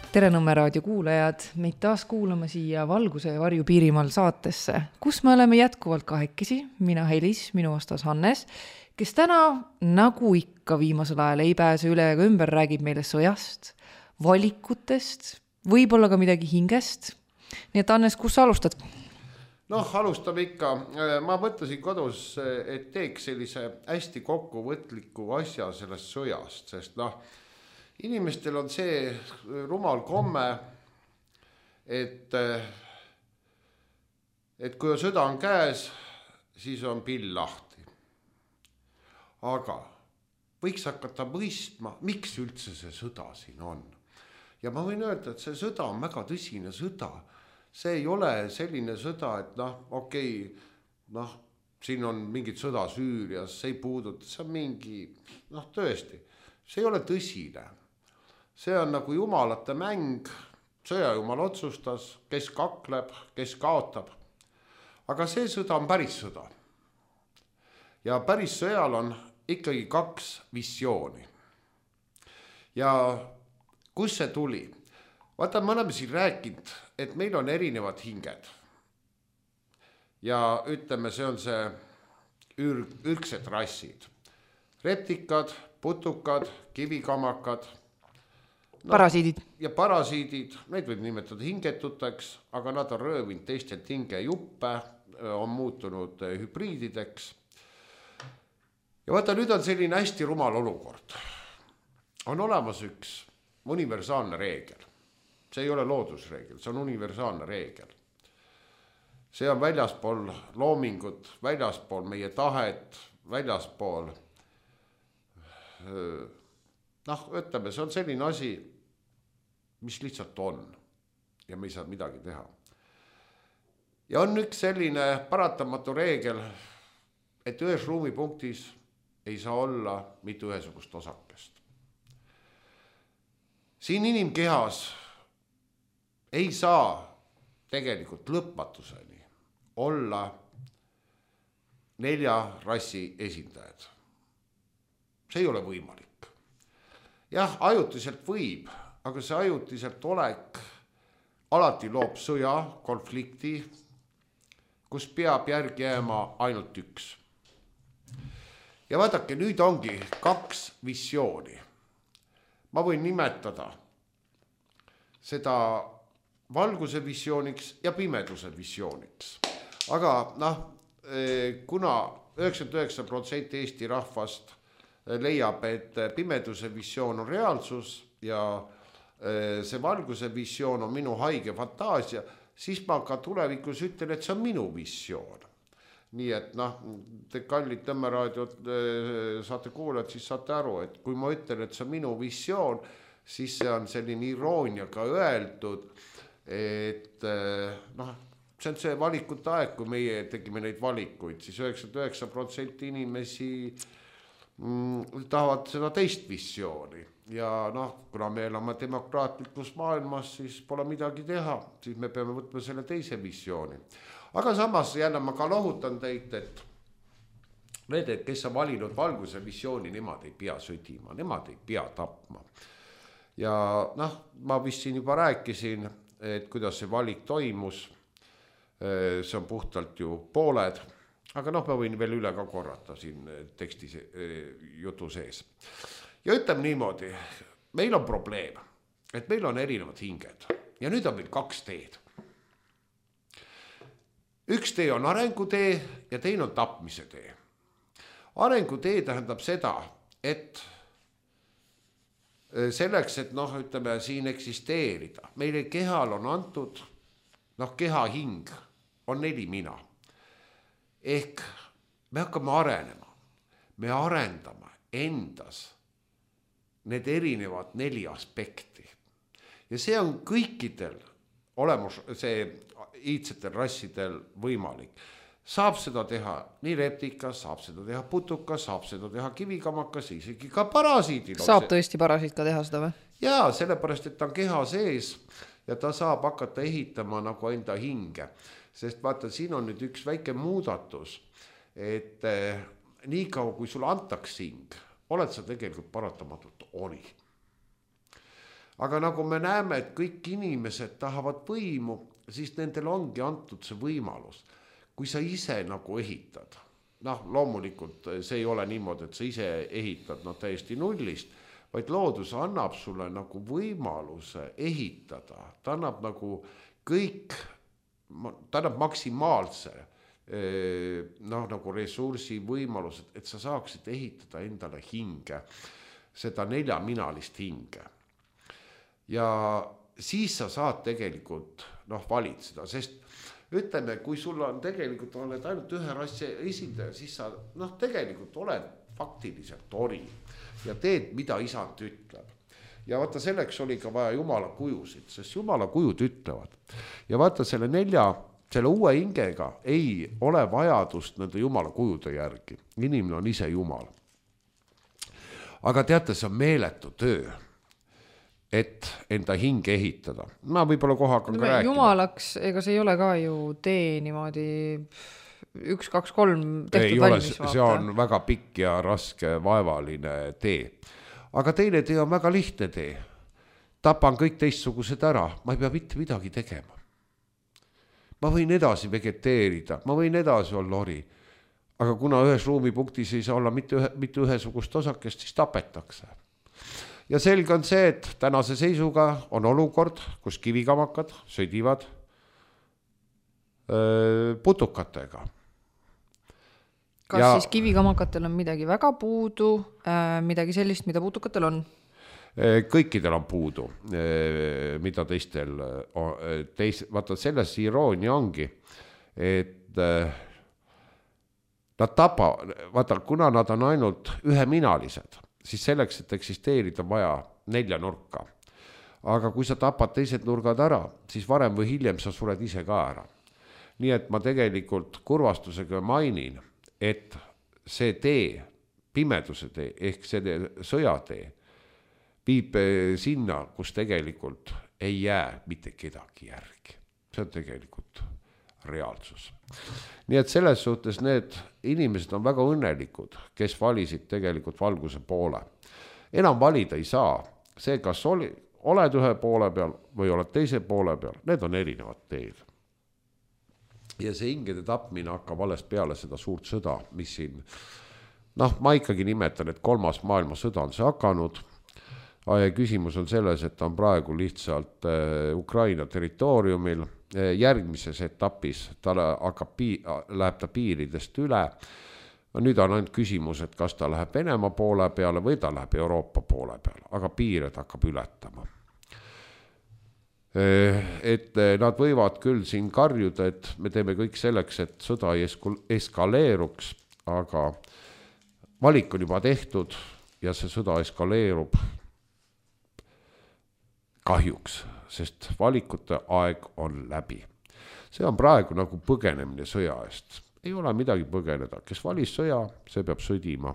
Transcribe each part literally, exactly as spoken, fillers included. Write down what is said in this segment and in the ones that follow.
Tere Nõmme raadio kuulajad, meid taas kuulama siia Valguse ja varju Piirimaal saatesse, kus me oleme jätkuvalt kahekesi, mina Helis, minu vastas Hannes, kes täna, nagu ikka viimasel ajal ei pääse üle ega ümber, räägib meile sõjast, valikutest, võib-olla ka midagi hingest. Nii et Hannes, kus sa alustad? Noh, alustame ikka. Ma mõtlesin kodus, et teeks sellise hästi kokkuvõtliku asja sellest sõjast, sest noh, inimestel on see rumal komme, et, et kui sõda on käes, siis on pill lahti. Aga võiks hakata mõistma, miks üldse see sõda siin on. Ja ma võin öelda, et see sõda on väga tõsine sõda. See ei ole selline sõda, et noh, okei, noh, siin on mingid sõda Süürias, see ei puuduta, see on mingi, noh, tõesti, see ei ole tõsine. See on nagu jumalate mäng, sõjajumal otsustas, kes kakleb, kes kaotab. Aga see sõda on päris sõda. Ja päris sõjal on ikkagi kaks visiooni. Ja kus see tuli? Vaata, me oleme siin rääkinud, et meil on erinevad hinged. Ja ütleme, see on see ür- ürgsed rassid. Reptikad, putukad, kivikamakad, No, parasiidid. Ja parasiidid, neid võib nimetada hingetuteks, aga nad on röövinud teistelt hingejuppe, on muutunud hübriidideks. Ja vaata, nüüd on selline hästi rumal olukord. On olemas üks universaalne reegel. See ei ole loodusreegel, see on universaalne reegel. See on väljaspool loomingut, väljaspool meie tahet, väljaspool... Noh, ütleme, see on selline asi, mis lihtsalt on ja me ei saa midagi teha. Ja on üks selline paratamatu reegel, et ühes ruumipunktis ei saa olla mitte ühesugust osakest. Siin inimkehas ei saa tegelikult lõpmatuseni olla nelja rassi esindajad. See ei ole võimalik. Jah, ajutiselt võib, aga see ajutiselt olek alati loob sõja, konflikti, kus peab järgi jääma ainult üks. Ja vaadake, nüüd ongi kaks visiooni. Ma võin nimetada seda valguse visiooniks ja pimeduse visiooniks. Aga noh, kuna üheksakümmend üheksa protsenti Eesti rahvast leiab, et pimeduse visioon on reaalsus ja see valguse visioon on minu haige fantaasia, siis ma ka tulevikus ütlen, et see on minu visioon. Nii et noh, te kallid Tõmmeraadiot saate kuulajad, siis saate aru, et kui ma ütlen, et see on minu visioon, siis see on selline irooniaga öeldud, et noh, see on see valikute aeg, kui meie tegime neid valikuid, siis üheksakümmend üheksa protsenti inimesi tahavad seda teist visiooni. Ja noh, kuna me elame demokraatlikus maailmas, siis pole midagi teha, siis me peame võtma selle teise visiooni. Aga samas jälle ma ka lohutan teid, et need, kes on valinud valguse visiooni, nemad ei pea sõdima, nemad ei pea tapma. Ja noh, ma vist siin juba rääkisin, et kuidas see valik toimus, see on puhtalt ju pooled. Aga noh, ma võin veel üle ka korrata siin teksti jutu sees. Ja ütleme niimoodi, meil on probleem, et meil on erinevad hinged ja nüüd on meil kaks teed. Üks tee on arengutee ja teine on tapmise tee. Arengutee tähendab seda, et selleks, et noh, ütleme siin eksisteerida, meile kehal on antud, noh, keha hing on neli mina. Ehk me hakkame arenema, me arendame endas need erinevad neli aspekti. Ja see on kõikidel olemus, see iidsetel rassidel võimalik. Saab seda teha nii reptikas, saab seda teha putukas, saab seda teha kivikamakas, isegi ka parasiidil. Saab tõesti parasiid ka teha seda või? Jaa, sellepärast, et ta on keha sees ja ta saab hakata ehitama nagu enda hinge. Sest vaata, siin on nüüd üks väike muudatus, et eh, nii kaua kui sulle antaks hing, oled sa tegelikult paratamatult oli. aga nagu me näeme, et kõik inimesed tahavad võimu, siis nendel ongi antud see võimalus. Kui sa ise nagu ehitad, noh loomulikult see ei ole niimoodi, et sa ise ehitad no, täiesti nullist, vaid loodus annab sulle nagu võimaluse ehitada, ta annab nagu kõik, ta annab maksimaalse noh, nagu ressursi võimalused, et sa saaksid ehitada endale hinge, seda neljaminalist hinge. Ja siis sa saad tegelikult noh, valitseda, sest ütleme, kui sul on tegelikult oled ainult ühe rassi esindaja, siis sa noh, tegelikult oled faktiliselt ori ja teed, mida isand ütleb. Ja vaata, selleks oli ka vaja Jumala kujusid, sest Jumala kujud ütlevad. Ja vaata, selle nelja selle uue hingega ei ole vajadust nende Jumala kujude järgi. Inimene on ise Jumal. Aga teate, see on meeletu töö, et enda hinge ehitada. Ma võib-olla koha hakkan ka rääkima. Jumalaks, ega see ei ole ka ju tee niimoodi üks, kaks, kolm tehtud ei valmis. Ole, see on väga pikk ja raske vaevaline tee. Aga teine tee on väga lihtne tee. Tapan kõik teistsugused ära, ma ei pea mitte midagi tegema. Ma võin edasi vegeteerida, ma võin edasi olla ori, aga kuna ühes ruumipunktis ei saa olla mitte, ühe, mitte ühesugust osakest, siis tapetakse. Ja selge on see, et tänase seisuga on olukord, kus kivikamakad sõdivad öö, putukatega. Kas ja, siis kivikamakatel on midagi väga puudu, äh, midagi sellist, mida putukatel on? Kõikidel on puudu, mida teistel teis, vaata selles iroonia ongi, et nad tapa, vaata, kuna nad on ainult üheminalised, siis selleks, et eksisteerida vaja nelja nurka. Aga kui sa tapad teised nurgad ära, siis varem või hiljem sa sured ise ka ära. Nii et ma tegelikult kurvastusega mainin, et see tee, pimeduse tee, ehk see sõjatee, viib sinna, kus tegelikult ei jää mitte kedagi järgi. See on tegelikult reaalsus. Nii et selles suhtes need inimesed on väga õnnelikud, kes valisid tegelikult valguse poole. Enam valida ei saa. See, kas oli, oled ühe poole peal või oled teise poole peal, need on erinevad teed. Ja see hingede tapmine hakkab alles peale seda suurt sõda, mis siin, noh, ma ikkagi nimetan, et kolmas maailmasõda on see hakanud. Küsimus on selles, et ta on praegu lihtsalt Ukraina territooriumil. Järgmises etapis ta hakkab, läheb ta piiridest üle. Nüüd on ainult küsimus, et kas ta läheb Venemaa poole peale või ta läheb Euroopa poole peale, aga piired hakkab ületama. Et nad võivad küll siin karjuda, et me teeme kõik selleks, et sõda ei eskaleeruks, aga valik on juba tehtud ja see sõda eskaleerub kahjuks, sest valikute aeg on läbi. See on praegu nagu põgenemine sõja eest. Ei ole midagi põgeneda. Kes valis sõja, see peab sõdima.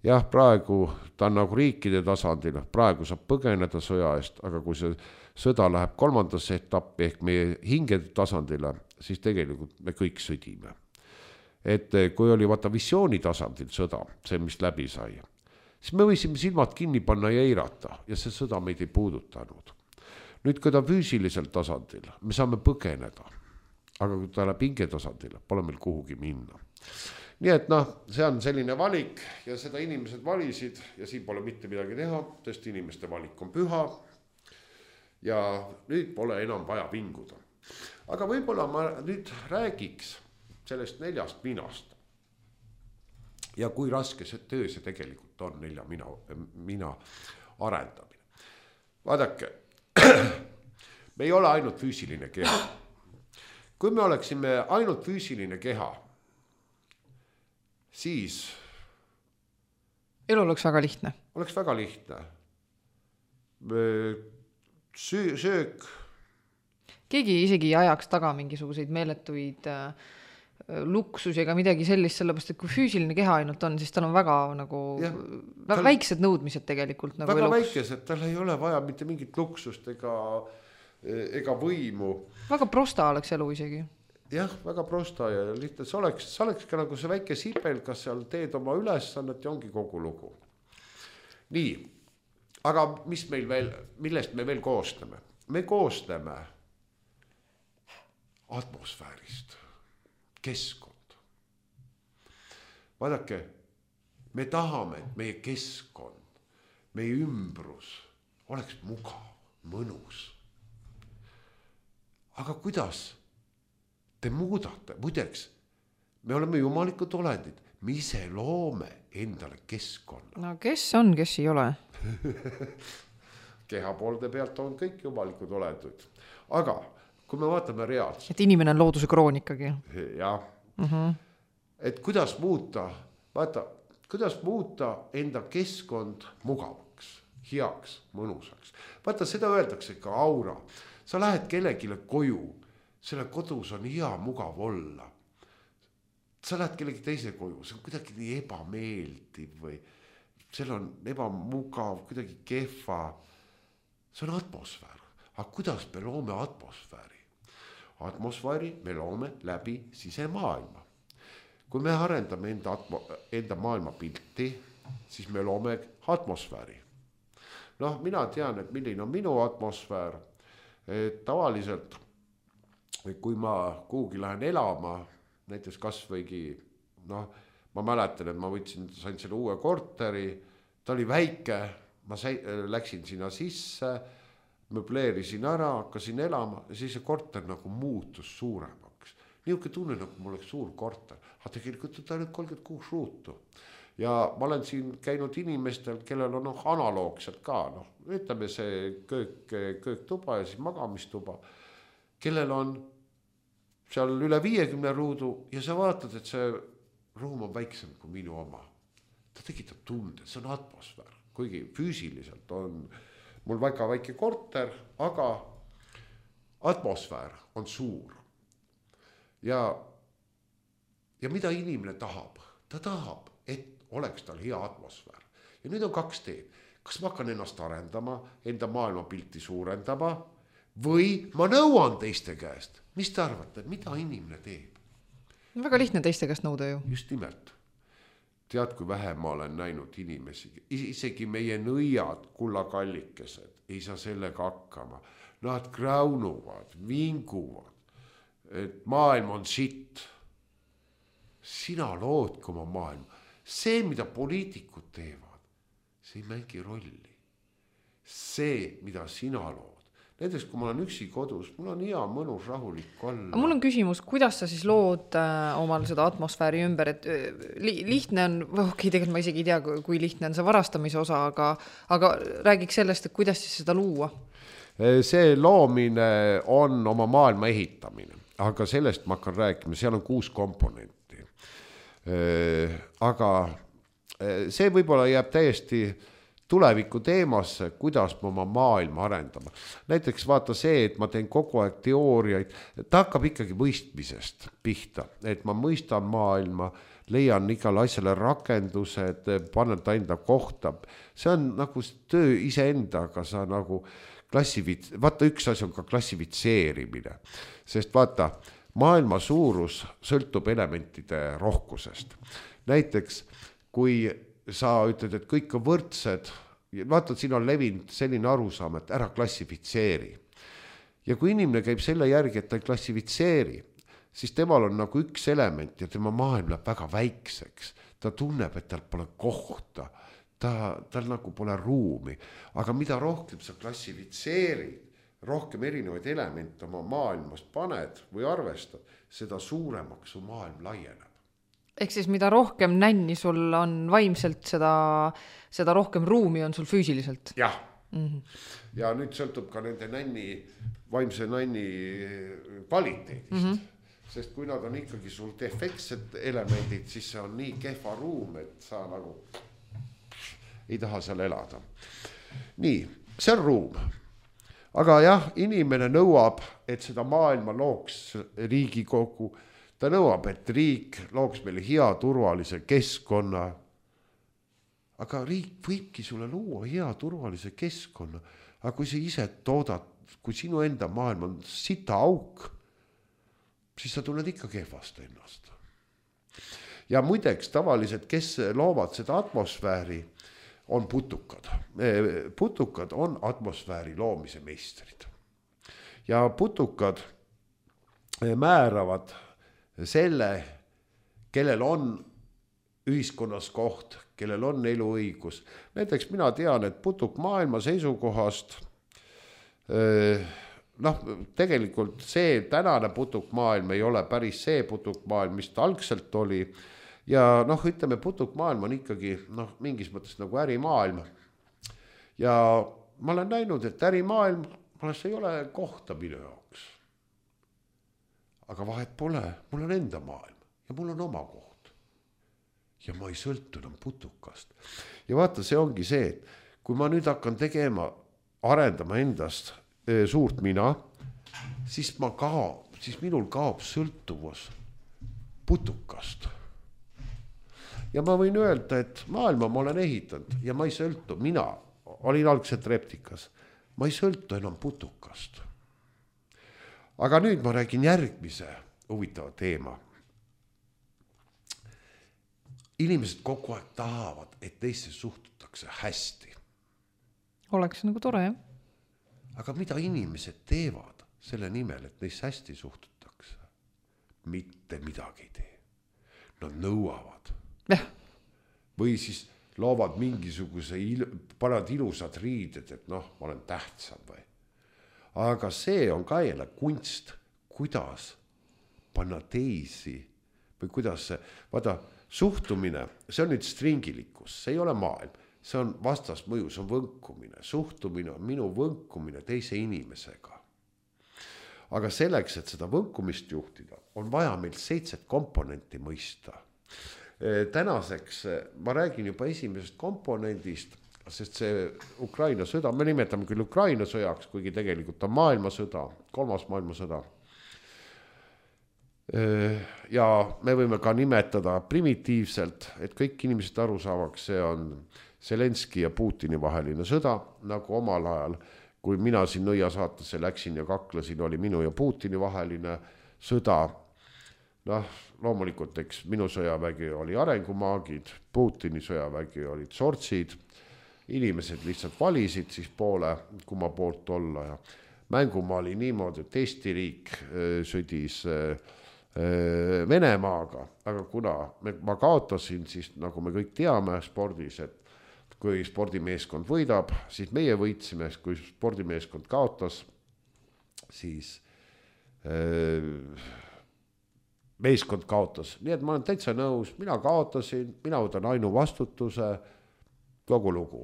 Jah, praegu ta on nagu riikide tasandil, praegu saab põgeneda sõja eest, aga kui see sõda läheb kolmandasse etappi ehk meie hingede tasandile, siis tegelikult me kõik sõdime. Et kui oli vaata visiooni tasandil sõda, see mis läbi sai, siis me võisime silmad kinni panna ja eirata ja see sõda meid ei puudutanud. Nüüd, kui ta füüsilisel tasandil, me saame põgeneda, aga kui ta läheb hinge tasandil, pole meil kuhugi minna. Nii et noh, see on selline valik ja seda inimesed valisid ja siin pole mitte midagi teha, sest inimeste valik on püha ja nüüd pole enam vaja vinguda. Aga võib-olla ma nüüd räägiks sellest neljast minast. Ja kui raske see töö see tegelikult on nelja mina, mina arendamine. Vaadake, me ei ole ainult füüsiline keha. Kui me oleksime ainult füüsiline keha, siis elu oleks väga lihtne. Oleks väga lihtne. Söö, söök. Keegi isegi ajaks taga mingisuguseid meeletuid äh, luksus ega midagi sellist, sellepärast, et kui füüsiline keha ainult on, siis tal on väga nagu ja, tal, väiksed nõudmised tegelikult. Nagu väga eluks. Väikesed, tal ei ole vaja mitte mingit luksust ega, ega võimu. Väga prosta oleks elu isegi. Jah, väga prosta ja lihtne. See oleks, see oleks ka nagu see väike sipel, kas seal teed oma ülesannet ja ongi kogu lugu. Nii, aga mis meil veel, millest me veel koostame? Me koostame atmosfäärist, keskkond. Vaadake, me tahame, et meie keskkond, meie ümbrus oleks mugav, mõnus. Aga kuidas te muudate? Muideks, me oleme jumalikud olendid, me ise loome endale keskkonna. No kes on, kes ei ole? Kehapoolde pealt on kõik jumalikud olendid. Aga kui me vaatame reaalselt. Et inimene on looduse kroon ikkagi. Jah. Uh-huh. Et kuidas muuta, vaata, kuidas muuta enda keskkond mugavaks, heaks, mõnusaks. Vaata, seda öeldakse ka aura. Sa lähed kellegile koju, selle kodus on hea mugav olla. Sa lähed kellegi teise koju, see on kuidagi nii ebameeldiv või seal on ebamugav, kuidagi kehva. See on atmosfäär. Aga kuidas me loome atmosfääri? Atmosfääri me loome läbi sisemaailma. Kui me arendame enda, atmo, enda maailma pilti, siis me loome atmosfääri. Noh, mina tean, et milline on minu atmosfäär. Et tavaliselt, kui ma kuhugi lähen elama, näiteks kas võigi, noh, ma mäletan, et ma võtsin, sain selle uue korteri, ta oli väike, ma sai, läksin sinna sisse, möbleerisin ära, hakkasin elama ja siis see korter nagu muutus suuremaks. Niuke tunne, nagu mul oleks suur korter, aga tegelikult ta on kolmkümmend kuus ruutu. Ja ma olen siin käinud inimestel, kellel on noh, analoogselt ka, noh, ütleme see köök, kööktuba ja siis magamistuba, kellel on seal üle viiekümne ruudu ja sa vaatad, et see ruum on väiksem kui minu oma. Ta tekitab tunde, see on atmosfäär, kuigi füüsiliselt on mul väga väike korter, aga atmosfäär on suur. Ja, ja mida inimene tahab? Ta tahab, et oleks tal hea atmosfäär. Ja nüüd on kaks teed. Kas ma hakkan ennast arendama, enda maailmapilti suurendama või ma nõuan teiste käest? Mis te arvate, mida inimene teeb? Väga lihtne teiste käest nõuda ju. Just nimelt. Tead, kui vähe ma olen näinud inimesi. Isegi meie nõiad, kullakallikesed, ei saa sellega hakkama. Nad kraunuvad, vinguvad, et maailm on sitt. Sina loodki oma maailma. See, mida poliitikud teevad, see ei mängi rolli. See, mida sina lood. Näiteks, kui ma olen üksi kodus, mul on hea, mõnus, rahulik olla. Mul on küsimus, kuidas sa siis lood äh, omal seda atmosfääri ümber, et li, lihtne on, okei, tegelikult ma isegi ei tea, kui lihtne on see varastamise osa, aga, aga räägiks sellest, et kuidas siis seda luua? See loomine on oma maailma ehitamine, aga sellest ma hakkan rääkima, seal on kuus komponenti. Aga see võib-olla jääb täiesti tuleviku teemasse, kuidas me oma maailma arendama. Näiteks vaata see, et ma teen kogu aeg teooriaid, ta hakkab ikkagi mõistmisest pihta, et ma mõistan maailma, leian igale asjale rakendused, panen ta enda kohta. See on nagu töö iseendaga, sa nagu klassivits-, vaata üks asi on ka klassifitseerimine, sest vaata, maailma suurus sõltub elementide rohkusest. Näiteks, kui sa ütled, et kõik on võrdsed, vaata, siin on levinud selline arusaam, et ära klassifitseeri. Ja kui inimene käib selle järgi, et ta ei klassifitseeri, siis temal on nagu üks element ja tema maailm läheb väga väikseks. Ta tunneb, et tal pole kohta, ta, tal nagu pole ruumi. Aga mida rohkem sa klassifitseerid, rohkem erinevaid elemente oma maailmast paned või arvestad, seda suuremaks su maailm laieneb. Ehk siis mida rohkem nänni sul on vaimselt, seda, seda rohkem ruumi on sul füüsiliselt. Jah. Mm-hmm. Ja nüüd sõltub ka nende nänni, vaimse nänni kvaliteedist. Mm-hmm. Sest kui nad on ikkagi sul defektsed elemendid, siis see on nii kehva ruum, et sa nagu ei taha seal elada. Nii, see on ruum. Aga jah, inimene nõuab, et seda maailma looks Riigikogu. Ta nõuab, et riik looks meile hea turvalise keskkonna. Aga riik võibki sulle luua hea turvalise keskkonna. Aga kui sa ise toodad, kui sinu enda maailm on sita auk, siis sa tunned ikka kehvast ennast. Ja muideks tavaliselt, kes loovad seda atmosfääri, on putukad. Putukad on atmosfääri loomise meistrid. Ja putukad määravad selle, kellel on ühiskonnas koht, kellel on eluõigus. Näiteks mina tean, et putuk maailma seisukohast, noh, tegelikult see tänane putukmaailm ei ole päris see putukmaailm, mis ta algselt oli. Ja noh, ütleme, putukmaailm on ikkagi noh, mingis mõttes nagu ärimaailm. Ja ma olen näinud, et ärimaailm mõnes ei ole kohta minu jaoks. Aga vahet pole, mul on enda maailm ja mul on oma koht. Ja ma ei sõltu enam putukast. Ja vaata, see ongi see, et kui ma nüüd hakkan tegema, arendama endast e, suurt mina, siis, ma kaob, siis minul kaob sõltuvus putukast. Ja ma võin öelda, et maailma ma olen ehitanud ja ma ei sõltu, mina olin algselt reptikas, ma ei sõltu enam putukast. Aga nüüd ma räägin järgmise huvitava teema. Inimesed kogu aeg tahavad, et teisse suhtutakse hästi. Oleks nagu tore, jah? Aga mida inimesed teevad selle nimel, et neisse hästi suhtutakse? Mitte midagi ei tee. Nad nõuavad. Ja. Või siis loovad mingisuguse, il, panad ilusad riided, et noh, ma olen tähtsam või. Aga see on ka jälle kunst, kuidas panna teisi või kuidas see, vaata, suhtumine, see on nüüd stringilikkus, see ei ole maailm, see on vastasmõju, see on võnkumine, suhtumine on minu võnkumine teise inimesega. Aga selleks, et seda võnkumist juhtida, on vaja meil seitset komponenti mõista. Tänaseks ma räägin juba esimesest komponendist, sest see Ukraina sõda, me nimetame küll Ukraina sõjaks, kuigi tegelikult on maailmasõda, kolmas maailmasõda. Ja me võime ka nimetada primitiivselt, et kõik inimesed aru saavaks, see on Zelenski ja Putini vaheline sõda, nagu omal ajal, kui mina siin nõia saatesse läksin ja kaklesin, oli minu ja Putini vaheline sõda. Noh, loomulikult, eks minu sõjavägi oli arengumaagid, Putini sõjavägi olid sortsid, inimesed lihtsalt valisid siis poole, kumma poolt olla ja mängumaa oli niimoodi, et Eesti riik sõdis Venemaaga, aga kuna ma kaotasin, siis nagu me kõik teame spordis, et kui spordimeeskond võidab, siis meie võitsime, kui spordimeeskond kaotas, siis meeskond kaotas. Nii et ma olen täitsa nõus, mina kaotasin, mina võtan ainu vastutuse, kogu lugu.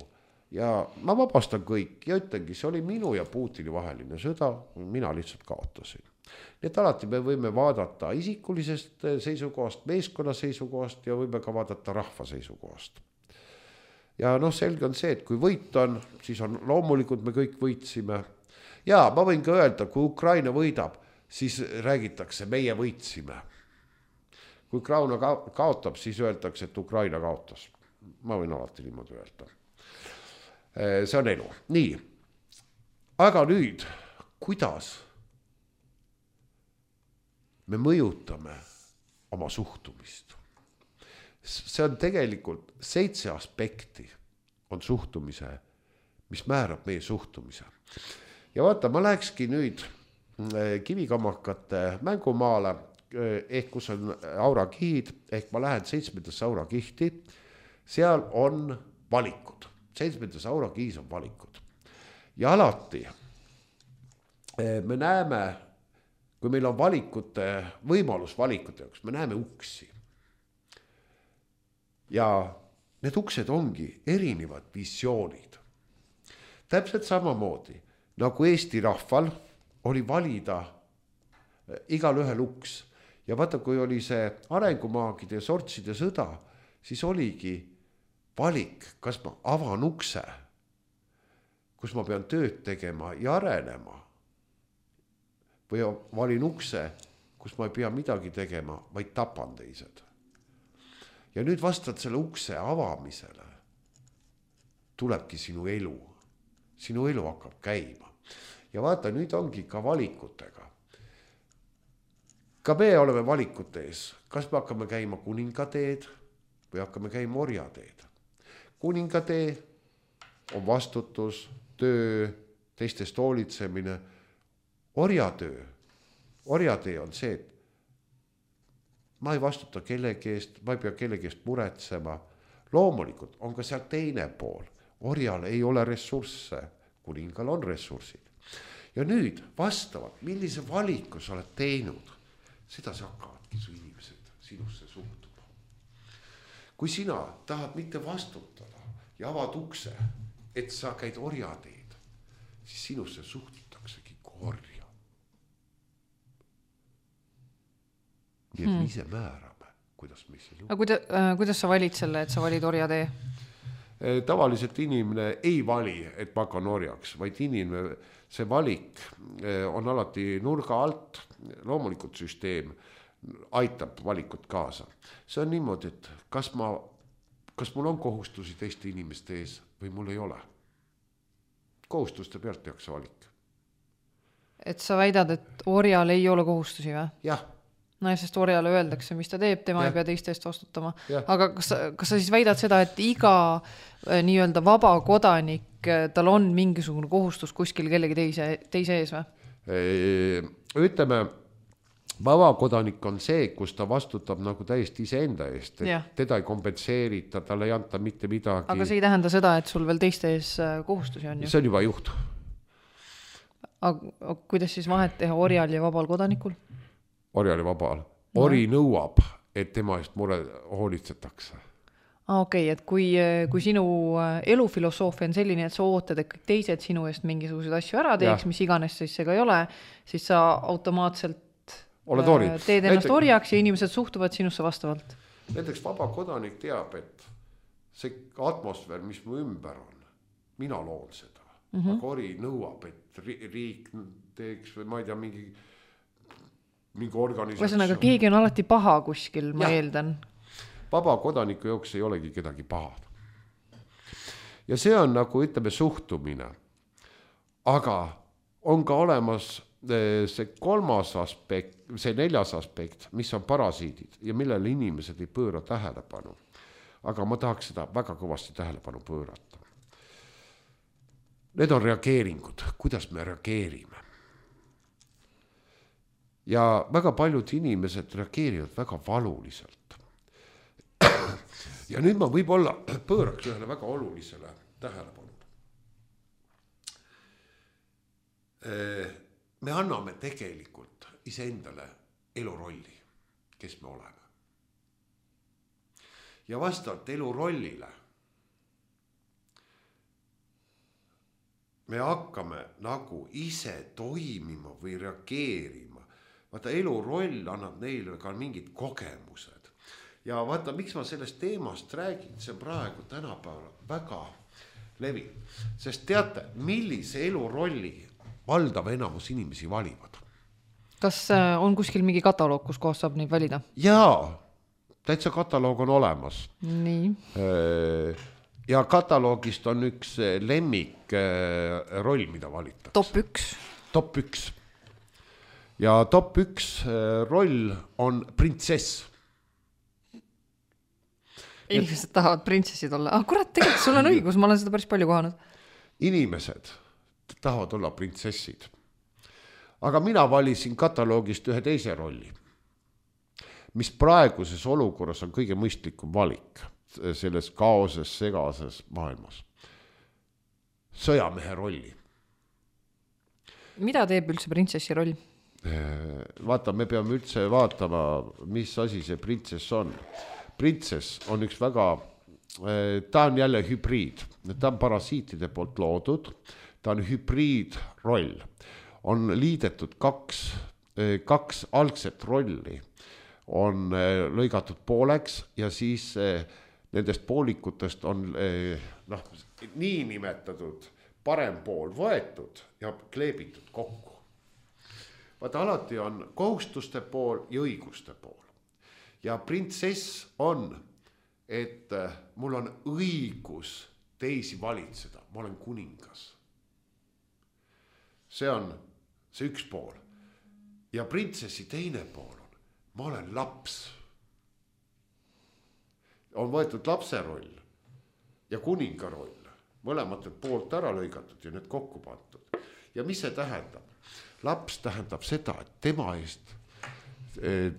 Ja ma vabastan kõik ja ütlengi, see oli minu ja Putini vaheline sõda, mina lihtsalt kaotasin. Nii et alati me võime vaadata isikulisest seisukohast, meeskonna seisukohast ja võime ka vaadata rahva seisukohast. Ja noh, selge on see, et kui võit on, siis on loomulikult me kõik võitsime. Ja ma võin ka öelda, kui Ukraina võidab, siis räägitakse, meie võitsime. Kui Ukraina kaotab, siis öeldakse, et Ukraina kaotas. Ma võin alati niimoodi öelda. See on elu. Nii, aga nüüd, kuidas me mõjutame oma suhtumist? See on tegelikult seitse aspekti on suhtumise, mis määrab meie suhtumise. Ja vaata, ma lähekski nüüd kivikammakate mängumaale, ehk kus on aurakihid, ehk ma lähen seitsmendasse aurakihti, seal on valikud. Seitsmendas aurakihis on valikud. Ja alati me näeme, kui meil on valikute, võimalus valikute jaoks, me näeme uksi. Ja need uksed ongi erinevad visioonid. Täpselt samamoodi, nagu Eesti rahval oli valida igal ühel uks. Ja vaata, kui oli see arengumaagide ja sortside sõda, siis oligi valik, kas ma avan ukse, kus ma pean tööd tegema ja arenema. Või valin ukse, kus ma ei pea midagi tegema, vaid tapan teised. Ja nüüd vastad selle ukse avamisele, tulebki sinu elu. Sinu elu hakkab käima. Ja vaata, nüüd ongi ka valikutega. Ka me oleme valikute ees. Kas me hakkame käima kuningateed või hakkame käima orjateed? Kuningatee on vastutus, töö, teistest hoolitsemine. Orjatöö, orjatöö on see, et ma ei vastuta kellegi eest, ma ei pea kellegi eest muretsema. Loomulikult on ka seal teine pool. Orjal ei ole ressursse, kuningal on ressursid. Ja nüüd vastavalt, millise valiku sa oled teinud, seda sa hakkavadki su inimesed sinusse suhtuma. Kui sina tahad mitte vastutada ja avad ukse, et sa käid orjateed, siis sinusse suhtutaksegi kui orja. Nii et me ise määrame, kuidas me ise lugu. Kuida, äh, kuidas sa valid selle, et sa valid orjatee? Tavaliselt inimene ei vali, et ma hakkan orjaks, vaid inimene, see valik on alati nurga alt, loomulikult süsteem aitab valikut kaasa. See on niimoodi, et kas, ma, kas mul on kohustusi teiste inimeste ees või mul ei ole. Kohustuste pealt tehakse valik. Et sa väidad, et orjal ei ole kohustusi või? Jah. No ja sest orjale öeldakse, mis ta teeb, tema ja. ei pea teiste eest vastutama. Ja. Aga kas, kas sa siis väidad seda, et iga äh, nii-öelda vaba kodanik, tal on mingisugune kohustus kuskil kellegi teise, teise ees või? Ütleme, vaba kodanik on see, kus ta vastutab nagu täiesti iseenda eest. Et teda ei kompenseerita, talle ei anta mitte midagi. Aga see ei tähenda seda, et sul veel teiste ees kohustusi on ju? See on juba juht. Aga kuidas siis vahet teha orjal ja vabal kodanikul? Orjali vabal. Ori no. nõuab, et tema eest mure hoolitsetakse. Ah, okei, okay, et kui, kui sinu elufilosoofia on selline, et sa ootad, et kõik teised sinu eest mingisuguseid asju ära teeks, ja. Mis iganes siis see ka ei ole, siis sa automaatselt teed ennast orjaks ja inimesed suhtuvad sinusse vastavalt. Näiteks vaba kodanik teab, et see atmosfäär, mis mu ümber on, mina loon seda. Mm-hmm. Aga ori nõuab, et riik teeks või ma ei tea, mingi mingi organisatsioon. Võsanaga, keegi on alati paha kuskil, ma ja. Eeldan. Vaba kodaniku jooks ei olegi kedagi pahad. Ja see on nagu, ütleme, suhtumine. Aga on ka olemas see kolmas aspekt, see neljas aspekt, mis on parasiidid ja millele inimesed ei pööra tähelepanu. Aga ma tahaks seda väga kõvasti tähelepanu pöörata. Need on reageeringud, kuidas me reageerime. Ja väga paljud inimesed reageerivad väga valuliselt. Ja nüüd ma võib-olla pööraks ühele väga olulisele tähelepanu. Me anname tegelikult iseendale elurolli, kes me oleme. Ja vastavalt elurollile me hakkame nagu ise toimima või reageerima. Vaata, eluroll annab neile ka mingid kogemused. Ja vaata, miks ma sellest teemast räägin, see praegu tänapäeval väga levib. Sest teate, millise elurolli valdav enamus inimesi valivad? Kas on kuskil mingi kataloog, kus kohas saab neid valida? Jaa, täitsa kataloog on olemas. Nii. Ja kataloogist on üks lemmik roll, mida valitaks. Top üks. Top üks. Ja top üks roll on printsess. Inimesed tahavad printsessid olla. Ah, kurat, tegelikult sul on õigus, ma olen seda päris palju kohanud. Inimesed tahavad olla printsessid. Aga mina valisin kataloogist ühe teise rolli, mis praeguses olukorras on kõige mõistlikum valik selles kaoses, segases maailmas. Sõjamehe rolli. Mida teeb üldse printsessi roll? Vaata, me peame üldse vaatama, mis asi see printsess on. Printsess on üks väga, ta on jälle hübriid, ta on parasiitide poolt loodud, ta on hübriidroll. On liidetud kaks, kaks algset rolli, on lõigatud pooleks ja siis nendest poolikutest on noh, nii nimetatud parem pool võetud ja kleebitud kokku. Vaata, alati on kohustuste pool ja õiguste pool. Ja printsess on, et mul on õigus teisi valitseda. Ma olen kuningas. See on see üks pool. Ja printsessi teine pool on, ma olen laps. On võetud lapse roll ja kuninga roll. mõlematelt poolt ära lõigatud ja need kokku pandud. Ja mis see tähendab? Laps tähendab seda, et tema eest,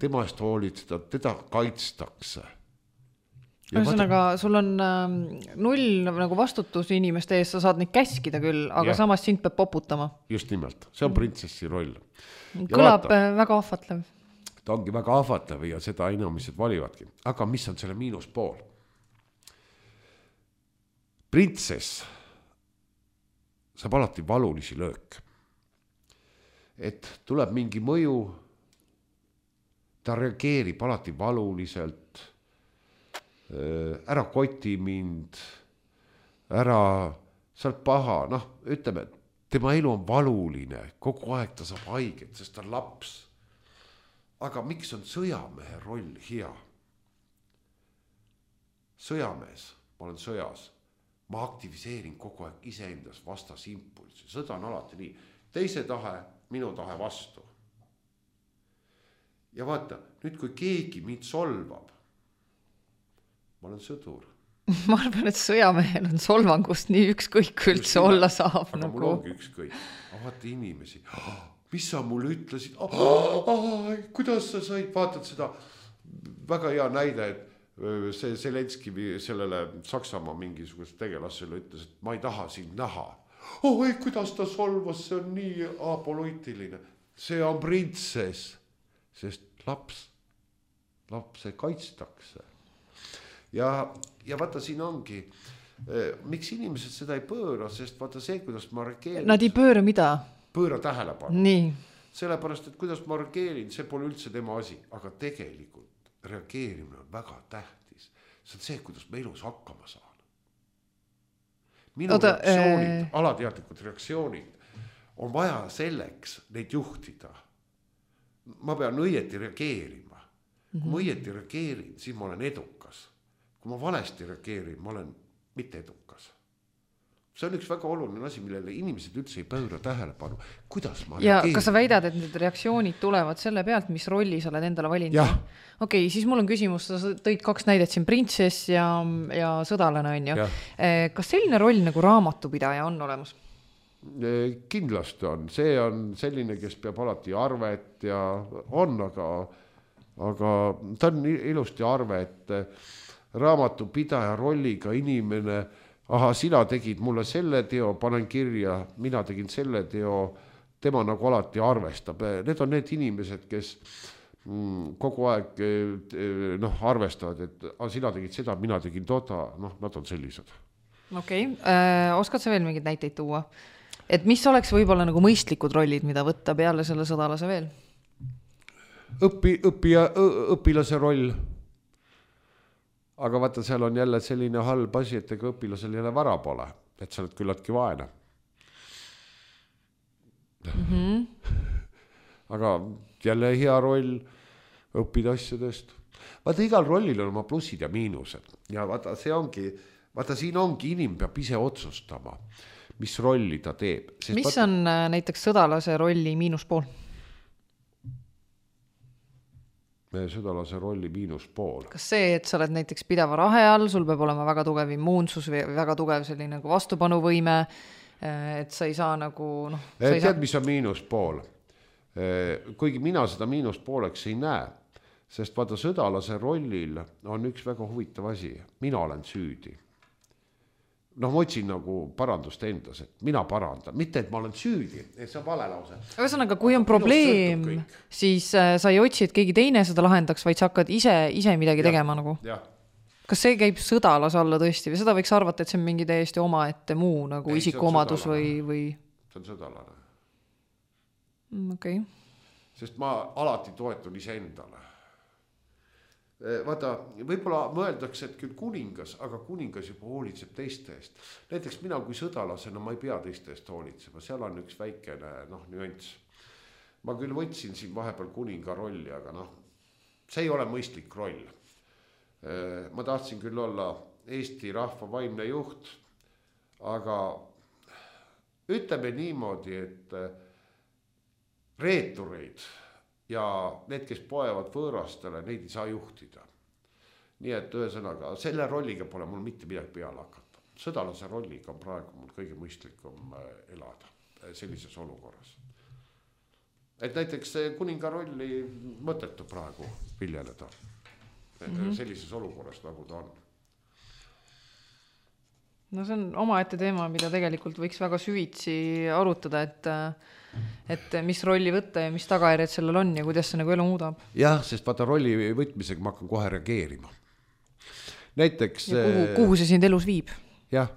tema eest hoolitseda, teda kaitstakse. Ühesõnaga, sul on äh, null nagu vastutus inimeste ees, sa saad neid käskida küll, aga ja. Samas sind peab poputama. Just nimelt, see on printsessi roll. Kõlab vaata, väga ahvatlev. Ta ongi väga ahvatlev ja seda inimesed valivadki. Aga mis on selle miinuspool? Printsess saab alati valulisi löök. Et tuleb mingi mõju, ta reageerib alati valuliselt, ära koti mind, ära, sa oled paha, noh, ütleme, tema elu on valuline, kogu aeg ta saab haiget, sest ta on laps. Aga miks on sõjamehe roll hea? Sõjamees, ma olen sõjas, ma aktiviseerin kogu aeg iseendas vastas impulsi, sõda on alati nii, teise tahe, minu tahe vastu. Ja vaata, nüüd kui keegi mind solvab, ma olen sõdur. Ma arvan, et sõjamehel on solvangust nii ükskõik üldse olla saab. Aga nagu... mul ongi ükskõik. Vaata inimesi, mis sa mulle ütlesid? Oh, oh, oh, kuidas sa said? Vaatad seda väga hea näide, et see Zelenski sellele Saksamaa mingisugust tegelasele ütles, et ma ei taha sind näha. Oh, ei, kuidas ta solvas, see on nii apoloitiline. See on printsess, sest laps, lapse kaitstakse. Ja, ja vaata siin ongi, miks inimesed seda ei pööra, sest vaata see, kuidas ma reageerin. Nad ei pööra mida? Pööra tähelepanu. Nii. Sellepärast, et kuidas ma reageerin, see pole üldse tema asi, aga tegelikult reageerimine on väga tähtis. See on see, kuidas me elus hakkama saan. Minu Oda, reaktsioonid, ee... alateadlikud reaktsioonid on vaja selleks neid juhtida. Ma pean õieti reageerima. Kui ma õieti reageerin, siis ma olen edukas. Kui ma valesti reageerin, ma olen mitte edukas. See on üks väga oluline asi, millele inimesed üldse ei pööra tähelepanu. Kuidas ma ja reageerin? Kas sa väidad, et need reaktsioonid tulevad selle pealt, mis rolli sa oled endale valinud? Okei, okay, siis mul on küsimus, sa tõid kaks näidet siin, printsess ja, ja sõdalane on ju. Kas selline roll nagu raamatupidaja on olemas? Kindlasti on. See on selline, kes peab alati arvet ja on, aga, aga ta on ilusti arve, et raamatupidaja rolliga inimene aha, sina tegid mulle selle teo, panen kirja, mina tegin selle teo, tema nagu alati arvestab. Need on need inimesed, kes mm, kogu aeg noh, arvestavad, et ah, sina tegid seda, mina tegin toda, noh, nad on sellised. Okei, okay. Oskad sa veel mingid näiteid tuua? Et mis oleks võib-olla nagu mõistlikud rollid, mida võtta peale selle sõdalase veel? Õpi, õppija, õpilase roll. Aga vaata, seal on jälle selline halb asi, et ega õpilasel jälle vara pole, et sa oled küllaltki vaene. Mm-hmm. Aga jälle hea roll õppida asjadest. Vaata, igal rollil on oma plussid ja miinused. Ja vaata, see ongi, vaata, siin ongi inim peab ise otsustama, mis rolli ta teeb. Sest mis vaata... on näiteks sõdalase rolli miinuspool? Sõdalase rolli miinuspool. Kas see, et sa oled näiteks pideva rahe all, sul peab olema väga tugev immuunsus või väga tugev selline nagu vastupanuvõime, et sa ei saa nagu... No, sa ei tead, saa... mis on miinuspool? Kuigi mina seda miinuspooleks ei näe, sest vaata sõdalase rollil on üks väga huvitav asi. Mina olen süüdi. Noh, ma otsin nagu parandust endas, et mina parandan. Mitte, et ma olen süüdi, et see on vale lause. Ühesõnaga, kui on probleem, siis äh, sa ei otsi, et keegi teine seda lahendaks, vaid sa hakkad ise, ise midagi ja, tegema nagu. Ja. Kas see käib sõdalase alla tõesti? Või seda võiks arvata, et see on mingi täiesti oma ette muu nagu ei, isikuomadus või, või... See on sõdalane. Mm, okei. Okay. Sest ma alati toetun ise endale. Vaata, võib-olla mõeldakse, et küll kuningas, aga kuningas juba hoolitseb teiste eest. Näiteks mina kui sõdalasena ma ei pea teiste eest hoolitsema, seal on üks väikene noh, nüanss. Ma küll võtsin siin vahepeal kuninga rolli, aga noh, see ei ole mõistlik roll. Ma tahtsin küll olla Eesti rahva vaimne juht, aga ütleme niimoodi, et reetureid ja need, kes poevad võõrastele, neid ei saa juhtida. Nii et ühesõnaga, selle rolliga pole mul mitte midagi peale hakata. sõdalase rolliga on praegu mul kõige mõistlikum elada sellises olukorras. Et näiteks kuninga rolli mõttetu praegu viljeleda mm-hmm. sellises olukorras, nagu ta on. No see on omaette teema, mida tegelikult võiks väga süvitsi arutada, et, et mis rolli võtta ja mis tagajärjed sellel on ja kuidas see nagu elu muudab. Jah, sest vaata rolli võtmisega ma hakkan kohe reageerima. Näiteks... Ja kuhu, kuhu see sind elus viib? Jah,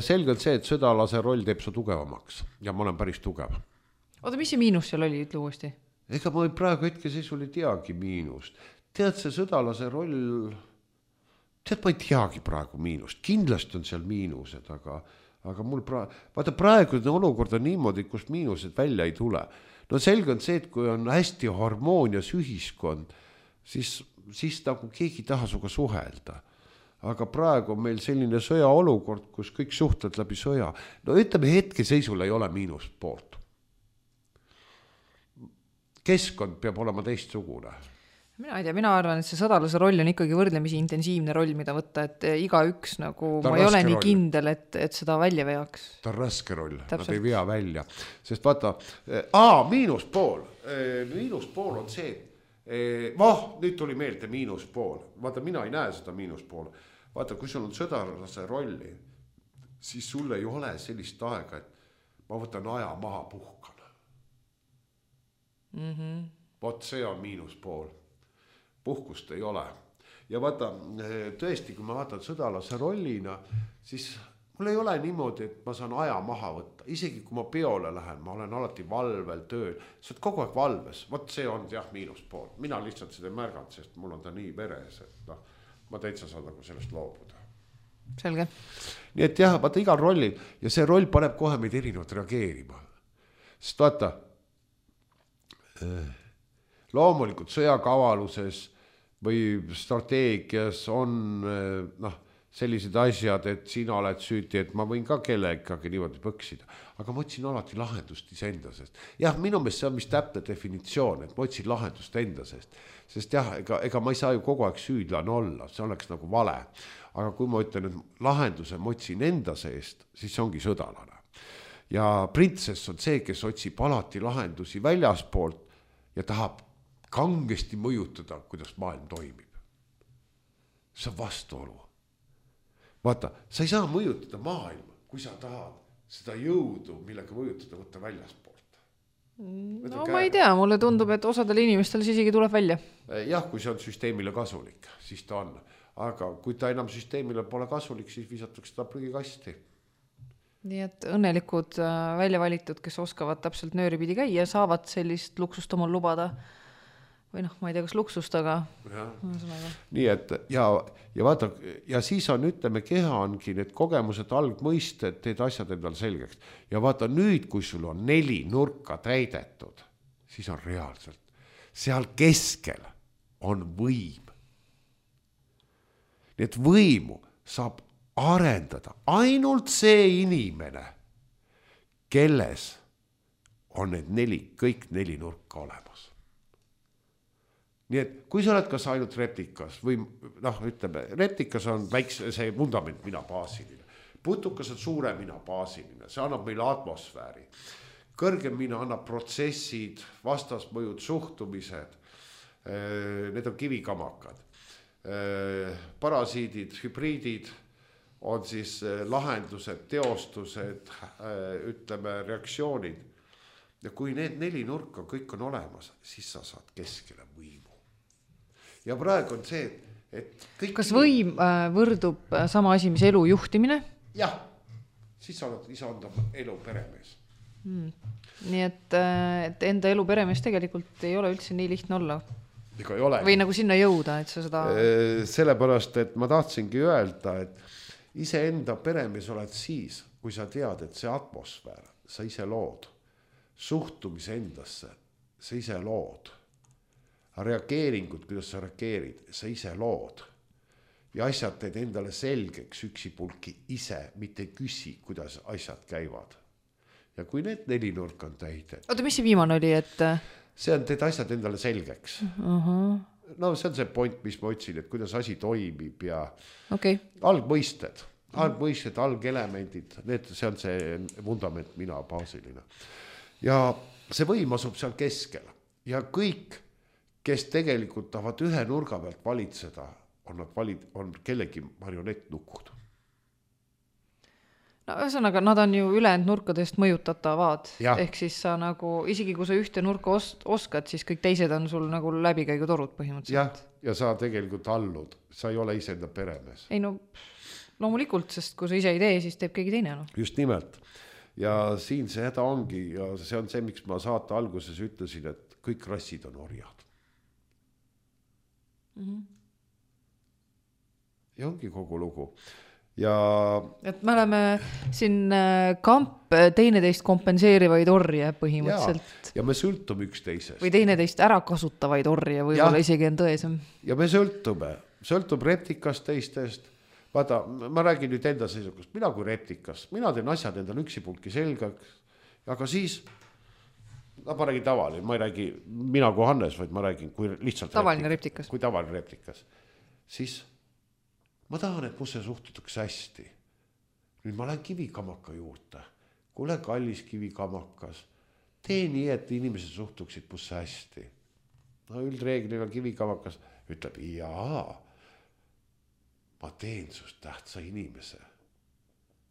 selge on see, et sõdalase roll teeb su tugevamaks ja ma olen päris tugev. Oota, mis see miinus seal oli, ütle uuesti? Ega ma praegu hetke seisul ei teagi miinust. Tead, see sõdalase roll... Tead, ma ei teagi praegu miinust. Kindlasti on seal miinused, aga, aga mul praegu... Vaata, praegu olukord on niimoodi, kus miinused välja ei tule. No selge on see, et kui on hästi harmoonias ühiskond, siis, siis nagu keegi taha suga suhelda. Aga praegu on meil selline sõja olukord, kus kõik suhtled läbi sõja. No ütleme, hetke seisul ei ole miinust poolt. Keskkond peab olema teistsugune. Mina ei tea, mina arvan, et see sõdalase roll on ikkagi võrdlemisi intensiivne roll, mida võtta, et iga üks nagu, ma ei ole nii roll. Kindel, et, et seda välja veaks. Ta on raske roll, nad ei vea välja. Sest vaata, aa, miinuspool, miinuspool on see, vah, nüüd tuli meelde miinuspool. Vaata, mina ei näe seda miinuspool. Vaata, kui sul on sõdalase rolli, siis sul ei ole sellist aega, et ma võtan aja maha puhkan. Mm-hmm. Vot see on miinuspool. Puhkust ei ole. Ja vaata, tõesti, kui ma vaatan sõdalase rollina, siis mul ei ole niimoodi, et ma saan aja maha võtta. Isegi kui ma peole lähen, ma olen alati valvel tööl. Sa oled kogu aeg valves. Vot see on jah miinuspool. Mina lihtsalt seda ei märganud, sest mul on ta nii veres, et no, ma täitsa saan nagu sellest loobuda. Selge. Nii et jah, vaata igal rolli ja see roll paneb kohe meid erinevalt reageerima. Sest vaata, loomulikult sõjakavaluses või strateegias on noh, sellised asjad, et sina oled süüti, et ma võin ka kelle ikkagi niimoodi põksida. Aga ma otsin alati lahendust iseenda sest. Jah, minu meelest see on mis täpne definitsioon, et ma otsin lahendust enda sest. Sest jah, ega, ega ma ei saa ju kogu aeg süüdlane olla, see oleks nagu vale. Aga kui ma ütlen, et lahenduse ma otsin enda seest, siis see ongi sõdalane. Ja printsess on see, kes otsib alati lahendusi väljaspoolt ja tahab kangesti mõjutada, kuidas maailm toimib. See on vastuolu. Vaata, sa ei saa mõjutada maailma, kui sa tahad seda jõudu, millega mõjutada võtta väljaspoolt. No ma ei tea, mulle tundub, et osadel inimestel see isegi tuleb välja. Jah, kui see on süsteemile kasulik, siis ta on. Aga kui ta enam süsteemile pole kasulik, siis visatakse ta prügikasti. Nii et õnnelikud välja valitud, kes oskavad täpselt nööripidi käia, saavad sellist luksust omal lubada. Või noh, ma ei tea, kas luksust, aga... Nii et, ja, ja vaata, ja siis on, ütleme, keha ongi need kogemused, algmõisted, teed asjad endal selgeks. Ja vaata, nüüd, kui sul on neli nurka täidetud, siis on reaalselt. Seal keskel on võim. Nii et võimu saab arendada ainult see inimene, kelles on need neli, kõik neli nurka olemas. Nii et kui sa oled kas ainult replikas või noh, ütleme, replikas on väikse, see vundament mina baasiline. Putukas on suure mina baasiline, see annab meile atmosfääri. Kõrgem mina annab protsessid, vastasmõjud, suhtumised, need on kivikamakad. Parasiidid, hübriidid on siis lahendused, teostused, ütleme, reaktsioonid. Ja kui need neli nurka kõik on olemas, siis sa saad keskele võimu. Ja praegu on see, et kõik... Kas võim võrdub sama asi, mis elu juhtimine? Jah, siis sa oled isa anda elu peremees. Hmm. Nii et, et enda elu peremees tegelikult ei ole üldse nii lihtne olla. Ega ei ole. Või nagu sinna jõuda, et sa seda... Sellepärast, et ma tahtsingi öelda, et ise enda peremees oled siis, kui sa tead, et see atmosfäär, sa ise lood. Suhtumise endasse, sa ise lood. Reageeringud, kuidas sa reageerid, sa ise lood. Ja asjad teed endale selgeks üksipulki ise, mitte küsi, kuidas asjad käivad. Ja kui need neli nurk on täidet... Oota, mis see viimane oli, et... See on teed asjad endale selgeks. Uh-huh. No see on see point, mis ma otsin, et kuidas asi toimib ja okay. algmõisted. algmõisted, algelemendid, need, see on see vundament, mina, baasiline. Ja see võim asub seal keskel ja kõik, kes tegelikult tahavad ühe nurga pealt valitseda, on nad valid, on kellegi marionettnukud. No ühesõnaga, nad on ju ülejäänud nurkadest mõjutatavad. Ja. Ehk siis sa nagu, isegi kui sa ühte nurka os- oskad, siis kõik teised on sul nagu läbikäigutorud põhimõtteliselt. Ja, ja sa tegelikult allud, sa ei ole iseenda peremees. Ei no, loomulikult, sest kui sa ise ei tee, siis teeb keegi teine. No. Just nimelt. Ja siin see häda ongi ja see on see, miks ma saate alguses ütlesin, et kõik rassid on orjad. Mm-hmm. Ja ongi kogu lugu. Ja... Et me oleme siin kamp teineteist kompenseerivaid orje põhimõtteliselt. Ja, ja me sõltume üksteisest. Või teineteist ära kasutavaid orje, võib-olla isegi on tõesem. Ja me sõltume. Sõltub reptikast teistest. Vaata, ma räägin nüüd enda seisukust. Mina kui reptikas. Mina teen asjad endal üksipulki selgaks. Aga siis, no ma räägin tavaline, ma ei räägi mina kui Hannes, vaid ma räägin kui lihtsalt tavaline reptikas. Kui tavaline reptikas. Siis ma tahan, et musse suhtutakse hästi. Nüüd ma lähen kivikamaka juurde. Kuule kallis kivikamakas. Tee nii, et inimesed suhtuksid musse hästi. No üldreeglina kivikamakas ütleb, jaa, ma teen sust tähtsa inimese.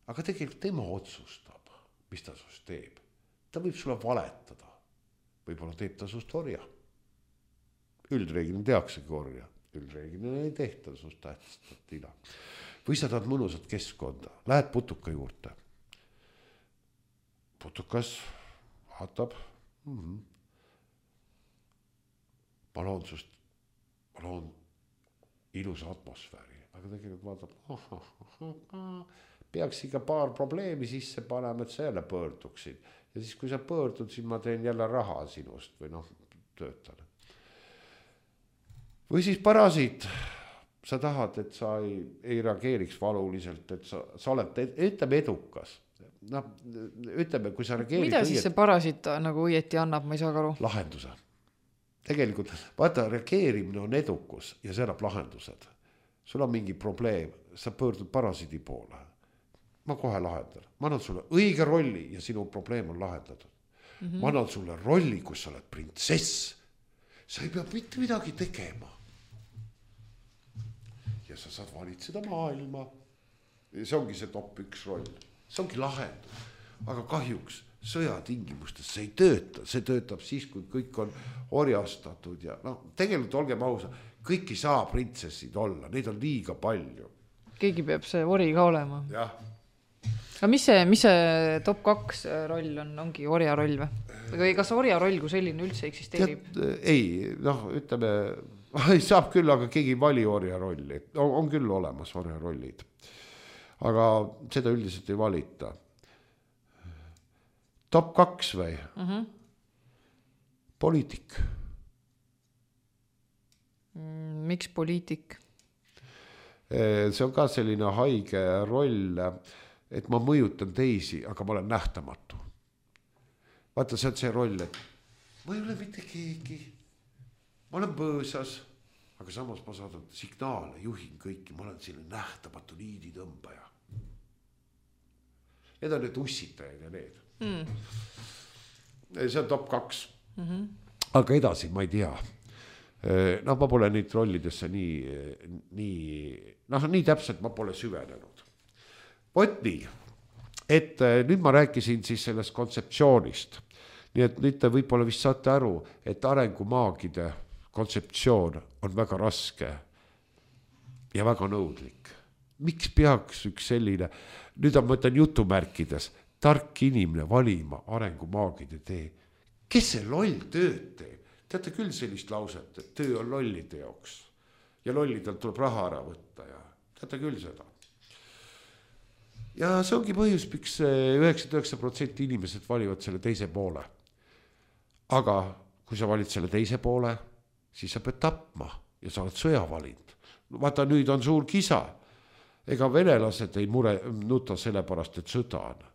Aga tegelikult tema otsustab, mis ta sust teeb. Ta võib sulle valetada. Võib-olla teeb ta sust orja. Üldreeglina teaksegi orja. Üldreeglina ei tehta sust tähtsat tina. Või sa tahad mõnusat keskkonda. Lähed putuka juurde. Putukas vaatab. Mm-hmm. Ma loon sust, ma loon ilusa atmosfääri. Aga tegelikult vaatab, oh, oh, oh, peaks ikka paar probleemi sisse panema, et sa jälle pöörduksid. Ja siis, kui sa pöördud, siis ma teen jälle raha sinust või noh, töötan. Või siis parasiit, sa tahad, et sa ei, ei reageeriks valuliselt, et sa, sa oled, ütleme, edukas. Noh, ütleme, kui sa reageerid... Mida siis õiet... see parasiit nagu õieti annab, ma ei saa aru? Lahenduse. Tegelikult, vaata, reageerimine on edukus ja see annab lahendused. Sul on mingi probleem, sa pöördud parasiidi poole. Ma kohe lahendan. Ma annan sulle õige rolli ja sinu probleem on lahendatud. Mm-hmm. Ma annan sulle rolli, kus sa oled printsess. Sa ei pea mitte midagi tegema. Ja sa saad valitseda maailma. Ja see ongi see top üks roll. See ongi lahendus. Aga kahjuks sõja tingimustes see ei tööta. See töötab siis, kui kõik on orjastatud. Ja no, tegelikult olgem ausa, kõik ei saa printsessid olla. Neid on liiga palju. Keegi peab see ori ka olema. Jah. Aga mis see, mis see top kaks roll on? Ongi orja roll või? Või kas orja roll kui selline üldse eksisteerib? Tead, ei, noh, ütleme, saab küll, aga keegi ei vali orja rolli. On, on küll olemas orja rollid. Aga seda üldiselt ei valita. Top kaks või? Uh-huh. Poliitik. Miks poliitik? See on ka selline haige roll, et ma mõjutan teisi, aga ma olen nähtamatu. Vaata, see on see roll, et ma ei ole mitte keegi. Ma olen põõsas, aga samas ma saadan signaale, juhin kõiki. Ma olen selline nähtamatu niiditõmbaja. Need on need ussitajad ja need. Mm. See on top kaks. Mm-hmm. Aga edasi ma ei tea. No ma pole neid rollidesse nii, nii, noh, nii täpselt ma pole süvenenud. Võt nii, et nüüd ma rääkisin siis sellest kontseptsioonist. Nii et nüüd te võib-olla vist saate aru, et arengumaagide kontseptsioon on väga raske ja väga nõudlik. Miks peaks üks selline, nüüd on mõtlen jutumärkides, tark inimene valima arengumaagide tee? Kes see loll tööd teeb? Teate küll sellist lauset, et töö on lollide jaoks ja lollidelt tuleb raha ära võtta ja teate küll seda. Ja see ongi põhjus, miks üheksakümmend üheksa protsenti inimesed valivad selle teise poole. Aga kui sa valid selle teise poole, siis sa pead tapma ja sa oled sõja valinud. Vaata, nüüd on suur kisa. Ega venelased ei mure nuta selle pärast, et sõda on.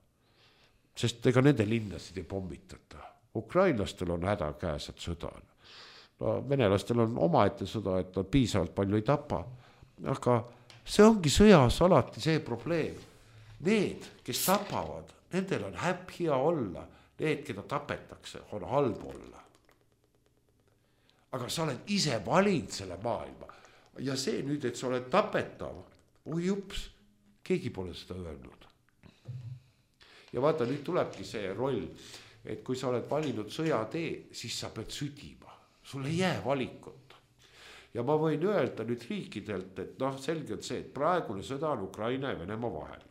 Sest ega nende linnasid ei pommitata. Ukrainlastel on häda käes, et sõda on. No, venelastel on omaette sõda, et nad piisavalt palju ei tapa. Aga see ongi sõjas alati see probleem. Need, kes tapavad, nendel on häpp hea olla, need, keda tapetakse, on halb olla. Aga sa oled ise valinud selle maailma ja see nüüd, et sa oled tapetav, oi jups, keegi pole seda öelnud. Ja vaata, nüüd tulebki see roll, et kui sa oled valinud sõjatee, siis sa pead südima, sul ei jää valikut. Ja ma võin öelda nüüd riikidelt, et noh, selge on see, et praegune sõda on Ukraina ja Venemaa vahel.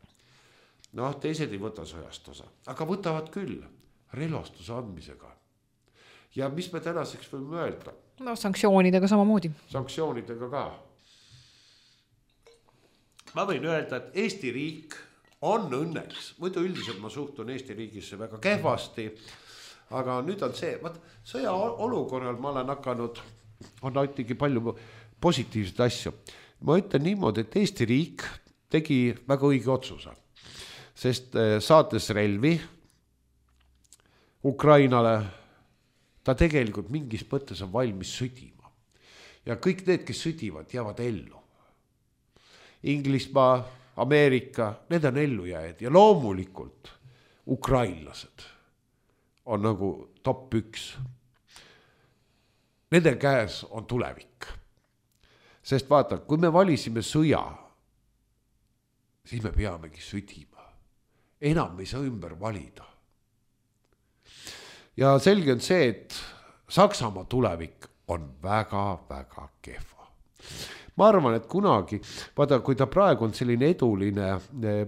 Noh, teised ei võta sõjast osa, aga võtavad küll relvastuse andmisega. Ja mis me tänaseks võime öelda? No sanktsioonidega samamoodi. Sanktsioonidega ka. Ma võin öelda, et Eesti riik on õnneks, muidu üldiselt ma suhtun Eesti riigisse väga kehvasti, aga nüüd on see, vaat sõja olukorral ma olen hakanud, on nautigi palju positiivseid asju. Ma ütlen niimoodi, et Eesti riik tegi väga õige otsuse, sest saates relvi Ukrainale, ta tegelikult mingis mõttes on valmis südima. Ja kõik need, kes südivad, jäävad ellu. Inglismaa, Ameerika, need on ellu jääd ja loomulikult ukrainlased on nagu top üks. Nende käes on tulevik. Sest vaata, kui me valisime sõja, siis me peamegi südima. Enam ei saa ümber valida. Ja selge on see, et Saksamaa tulevik on väga-väga kehva. Ma arvan, et kunagi, vaata, kui ta praegu on selline eduline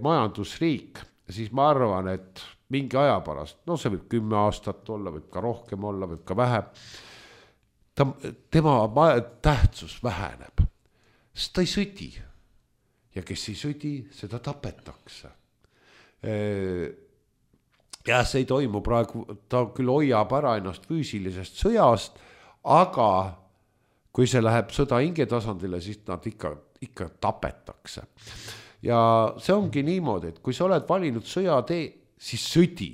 majandusriik, siis ma arvan, et mingi aja pärast, no see võib kümme aastat olla, võib ka rohkem olla, võib ka vähem, ta, tema tähtsus väheneb, sest ta ei südi. Ja kes ei südi, seda tapetakse. Ja see ei toimu praegu, ta küll hoiab ära ennast füüsilisest sõjast, aga kui see läheb sõda hinge tasandile, siis nad ikka, ikka tapetakse. Ja see ongi niimoodi, et kui sa oled valinud sõjatee, siis südi.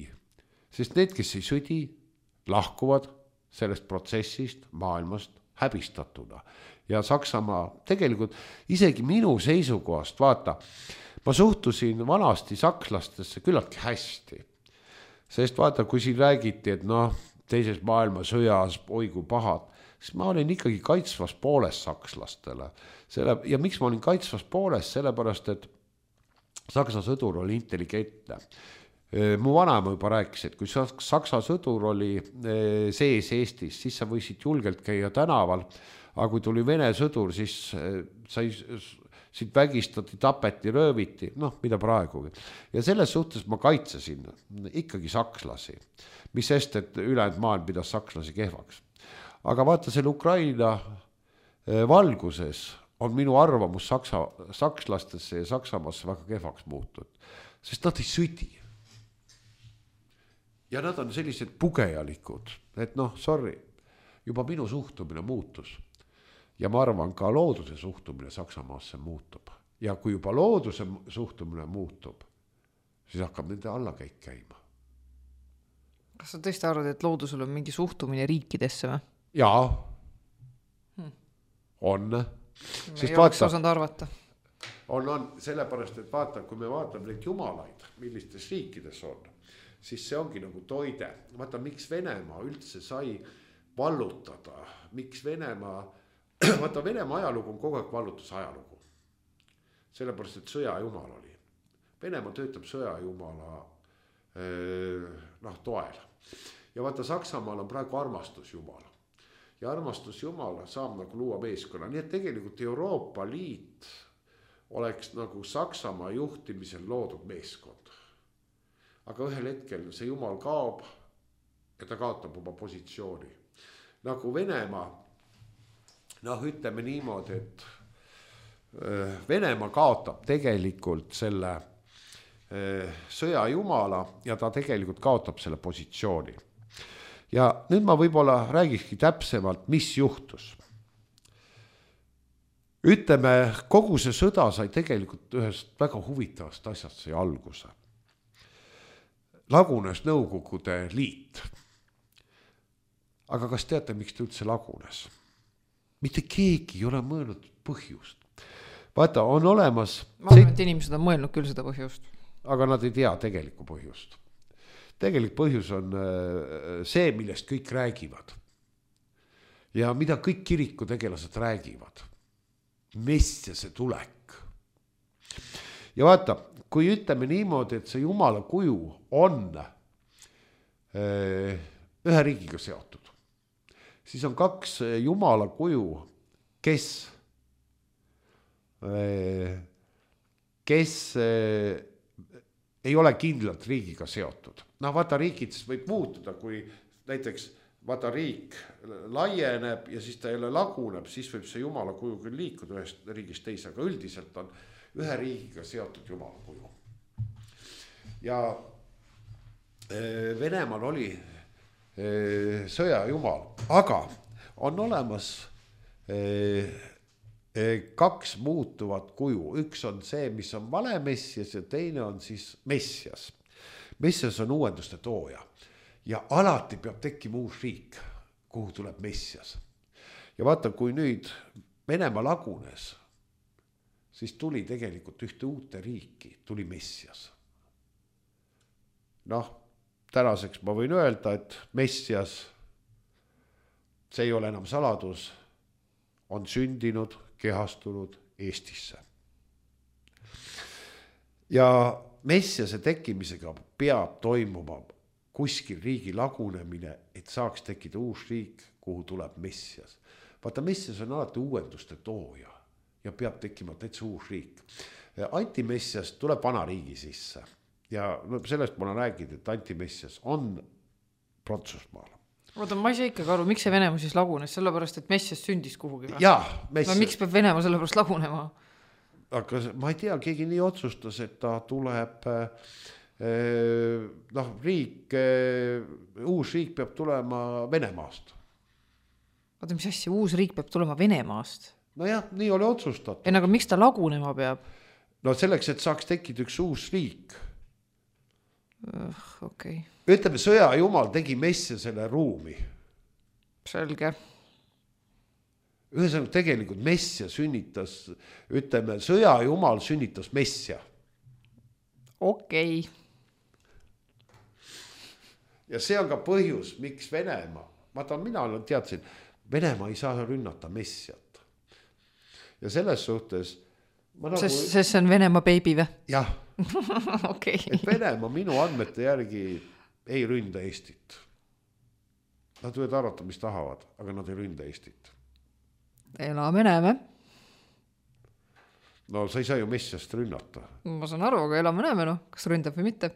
Sest need, kes ei südi, lahkuvad sellest protsessist maailmast häbistatuna. Ja Saksamaa tegelikult isegi minu seisukohast, vaata, ma suhtusin vanasti sakslastesse küllaltki hästi. Sest vaata, kui siin räägiti, et noh, teises maailmasõjas, oi kui pahad, siis ma olin ikkagi kaitsvas pooles sakslastele. Selle, ja miks ma olin kaitsvas pooles? Sellepärast, et Saksa sõdur oli intelligentne. Mu vanaema juba rääkis, et kui Saksa sõdur oli sees Eestis, siis sa võisid julgelt käia tänaval, aga kui tuli Vene sõdur, siis sai, siit vägistati, tapeti, rööviti, noh, mida praegugi. Ja selles suhtes ma kaitsesin ikkagi sakslasi, mis sest, et ülejäänud maailm pidas sakslasi kehvaks. Aga vaata, selle Ukraina valguses on minu arvamus saksa, sakslastesse ja Saksamaasse väga kehvaks muutud, sest nad ei südi. Ja nad on sellised pugejalikud, et noh, sorry, juba minu suhtumine muutus. Ja ma arvan, ka looduse suhtumine Saksamaasse muutub. Ja kui juba looduse suhtumine muutub, siis hakkab nende allakäik käima. Kas sa tõesti arvad, et loodusel on mingi suhtumine riikidesse või? Jaa, hmm. on. Ei oleks osanud arvata. On, on, sellepärast, et vaata, kui me vaatame neid jumalaid, millistes riikides on, siis see ongi nagu toide. Vaata, miks Venemaa üldse sai vallutada, miks Venemaa, vaata, Venemaa ajalugu on kogu aeg vallutus ajalugu. Sellepärast, et sõjajumal oli. Venemaa töötab sõjajumala noh, toel. Ja vaata, Saksamaal on praegu armastusjumala. Ja armastusjumala saab nagu luua meeskonna. Nii et tegelikult Euroopa Liit oleks nagu Saksamaa juhtimisel loodud meeskond. Aga ühel hetkel see jumal kaob ja ta kaotab oma positsiooni. Nagu Venemaa, noh, ütleme niimoodi, et Venemaa kaotab tegelikult selle sõjajumala ja ta tegelikult kaotab selle positsiooni. Ja nüüd ma võib-olla räägikski täpsemalt, mis juhtus. Ütleme, kogu see sõda sai tegelikult ühest väga huvitavast asjast sai alguse. Lagunes Nõukogude Liit. Aga kas teate, miks ta üldse lagunes? Mitte keegi ei ole mõelnud põhjust. vaata, on olemas... Ma arvan, et inimesed on mõelnud küll seda põhjust. Aga nad ei tea tegelikku põhjust. Tegelik põhjus on see, millest kõik räägivad. Ja mida kõik kirikutegelased räägivad. Messiase tulek. Ja vaata, kui ütleme niimoodi, et see Jumala kuju on ühe riigiga seotud, siis on kaks Jumala kuju, kes, kes ei ole kindlalt riigiga seotud. No vaata, riigides võib muutuda, kui näiteks vaata riik laieneb ja siis ta jälle laguneb, siis võib see Jumala kuju küll liikuda ühest riigist teise, aga üldiselt on ühe riigiga seotud Jumala kuju. Ja Venemaal oli sõja jumal, aga on olemas kaks muutuvat kuju. Üks on see, mis on vale messias ja teine on siis messias. Messias on uuenduste tooja ja alati peab tekkima uus riik, kuhu tuleb messias. Ja vaata, kui nüüd Venemaa lagunes, siis tuli tegelikult ühte uute riiki, tuli messias. Noh, tänaseks ma võin öelda, et messias, see ei ole enam saladus, on sündinud, kehastunud Eestisse. Ja messiase tekkimisega peab toimuma kuskil riigi lagunemine, et saaks tekkida uus riik, kuhu tuleb messias. Vaata, messias on alati uuenduste tooja ja peab tekkima täitsa uus riik. Antimessias tuleb vana riigi sisse ja sellest ma olen rääginud, et antimessias on Prantsusmaal. Oota, ma ei saa ikkagi aru, miks see Venemaa siis lagunes, sellepärast, et messias sündis kuhugi? Jaa, messias. No, miks peab Venemaa sellepärast lagunema? Aga ma ei tea, keegi nii otsustas, et ta tuleb, noh, riik, uus riik peab tulema Venemaast. Oota, mis asja, uus riik peab tulema Venemaast? No jah, nii oli otsustatud. Ei, aga miks ta lagunema peab? No selleks, et saaks tekkida üks uus riik. Uh, okay. Ütleme, sõja jumal tegi messia selle ruumi. Selge. Ühesõnaga tegelikult messia sünnitas, ütleme, sõja jumal sünnitas messia. Okei. Ja see on ka põhjus, miks Venemaa, vaata, mina teadsin, Venemaa ei saa rünnata messiat. Ja selles suhtes ma nagu... Sest, sest see on Venemaa baby või? Jah. Okay. Et Venemaa minu andmete järgi ei ründa Eestit. Nad võivad arvata, mis tahavad, aga nad ei ründa Eestit. Elame näeme. No sa ei saa ju messiast rünnata. Ma saan aru, aga elame näeme, no. Kas ründab või mitte?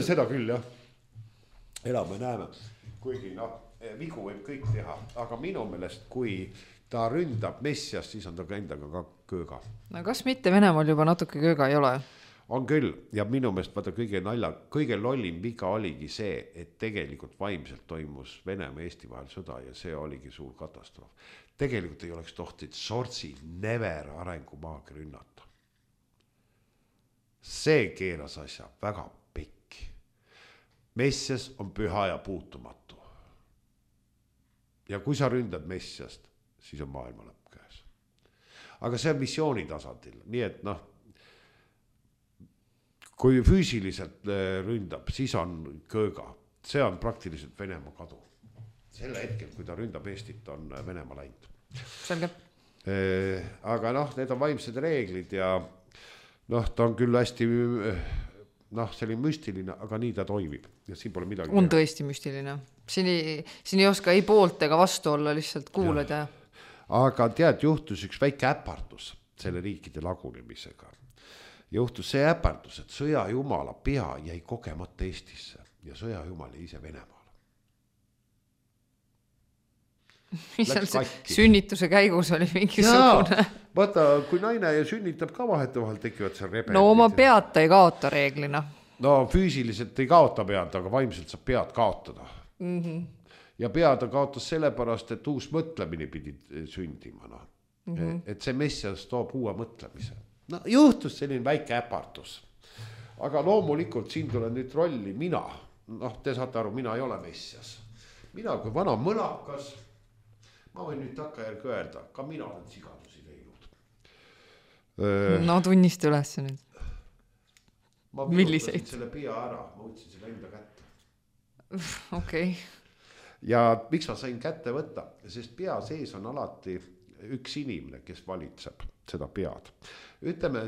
Seda küll, jah. Elame näeme. Kuigi, noh, vigu võib kõik teha, aga minu meelest, kui ta ründab messiast, siis on ta ka endaga ka kööga. No kas mitte Venemaal juba natuke kööga ei ole? On küll, ja minu meelest vaata kõige nalja, kõige lollim viga oligi see, et tegelikult vaimselt toimus Venemaa ja Eesti vahel sõda ja see oligi suur katastroof. Tegelikult ei oleks tohtinud sortsi never arengumaagi rünnata. See keeras asja väga pekki. Messias on püha ja puutumatu. Ja kui sa ründad messiast, siis on maailma lõpp käes. Aga see on missiooni tasandil, nii et noh, kui füüsiliselt ründab, siis on kööga. See on praktiliselt Venemaa kadu. Selle hetkel, kui ta ründab Eestit, on Venemaa läinud. Selge. Aga noh, need on vaimsed reeglid ja noh, ta on küll hästi noh, selline müstiline, aga nii ta toimib. Ja siin pole midagi. On tõesti müstiline. Siin ei, siin ei oska ei poolt ega vastu olla, lihtsalt kuuled ja... Aga tead, juhtus üks väike äpardus selle riikide lagunemisega. Juhtus see äpardus, et sõja jumala pea jäi kogemata Eestisse ja sõja jumal jäi ise Venemaale. Mis seal sünnituse käigus oli mingisugune? Jaa, vaata, kui naine sünnitab ka vahet vahel tekivad seal rebelid. No oma pead ta ei kaota reeglina. No füüsiliselt ei kaota pead, aga vaimselt saab pead kaotada. Mhm. Ja pead ta kaotas sellepärast, et uus mõtlemine pidi sündima. No. Mm-hmm. Et see messias toob uue mõtlemise. No juhtus selline väike äpardus. Aga loomulikult siin tuleb nüüd rolli mina. Noh, te saate aru, mina ei ole messias. Mina kui vana mõnakas, ma võin nüüd takkajärgi öelda, ka mina olen sigadusi teinud. No tunnista üles nüüd. Ma Milliseid? Selle pea ära, ma võtsin selle enda kätte. Okei. Okay. Ja miks ma sain kätte võtta? Sest pea sees on alati üks inimene, kes valitseb seda pead. Ütleme,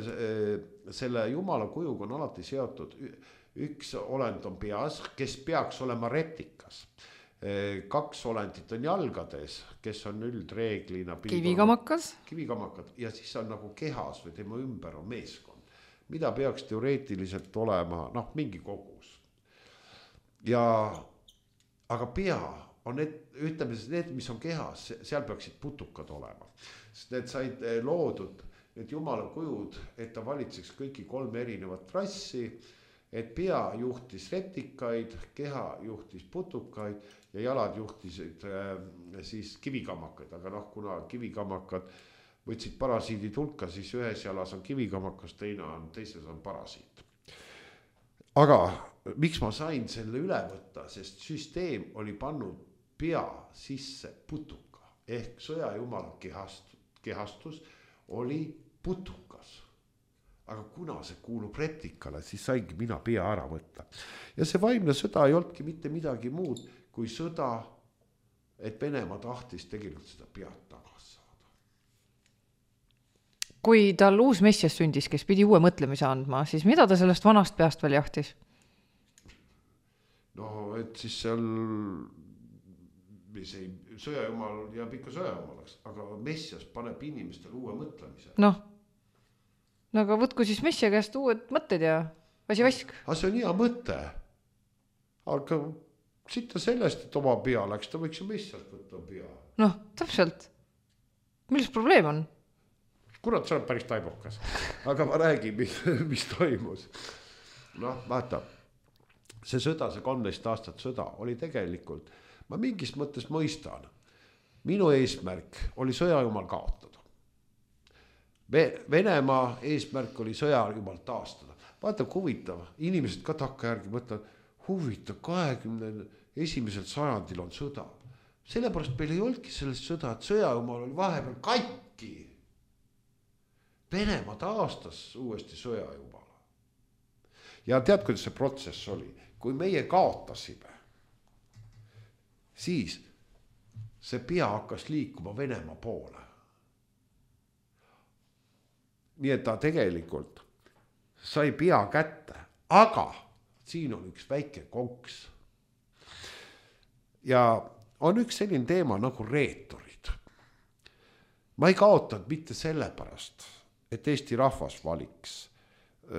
selle jumala kujuga on alati seotud üks olend on peas, kes peaks olema reptikas. Kaks olendit on jalgades, kes on üldreeglina kivikamakas. Kivikamakas ja siis on nagu kehas või tema ümber on meeskond, mida peaks teoreetiliselt olema noh, mingi kogus. Ja aga pea on need, ütleme, need, mis on kehas, seal peaksid putukad olema. Sest need said loodud, need jumala kujud, et ta valitseks kõiki kolm erinevat rassi, et pea juhtis reptikaid, keha juhtis putukaid ja jalad juhtisid äh, siis kivikamakaid, aga noh, kuna kivikamakad võtsid parasiidid hulka, siis ühes jalas on kivikamakas, teine on, teises on parasiit. Aga miks ma sain selle üle võtta, sest süsteem oli pannud pea sisse putuka ehk sõjajumala kehast, kehastus oli putukas. Aga kuna see kuulub reptikale, siis saingi mina pea ära võtta. Ja see vaimne sõda ei olnudki mitte midagi muud kui sõda, et Venemaa tahtis tegelikult seda pead tagasi saada. Kui tal uus messias sündis, kes pidi uue mõtlemise andma, siis mida ta sellest vanast peast veel jahtis? No, et siis seal see sõjajumal jääb ikka sõjajumalaks, aga messias paneb inimestel uue mõtlemise. Noh, no aga võtku siis messia käest uued mõtted ja vasi vask. Aga see on hea mõte. Aga siit sellest, et oma pea läks, ta võiks ju messiast võtta pea. Noh, täpselt. Milles probleem on? Kurat, see on päris taibukas. Aga ma räägin, mis, mis toimus. Noh, vaata, see sõda, see kolmteist aastat sõda oli tegelikult, ma mingis mõttes mõistan. Minu eesmärk oli sõjajumal kaotada. Venemaa eesmärk oli sõjajumal taastada. Vaata, huvitav, inimesed ka takka järgi mõtlevad, huvitav, kahekümne esimesel sajandil on sõda. Sellepärast meil ei olnudki sellest sõda, et sõjajumal oli vahepeal katki. Venemaa taastas uuesti sõjajumala. Ja tead, kuidas see protsess oli? Kui meie kaotasime, siis see pea hakkas liikuma Venemaa poole. Nii et ta tegelikult sai pea kätte, aga siin on üks väike konks. Ja on üks selline teema nagu reetorid. Ma ei kaotanud mitte sellepärast, et Eesti rahvas valiks,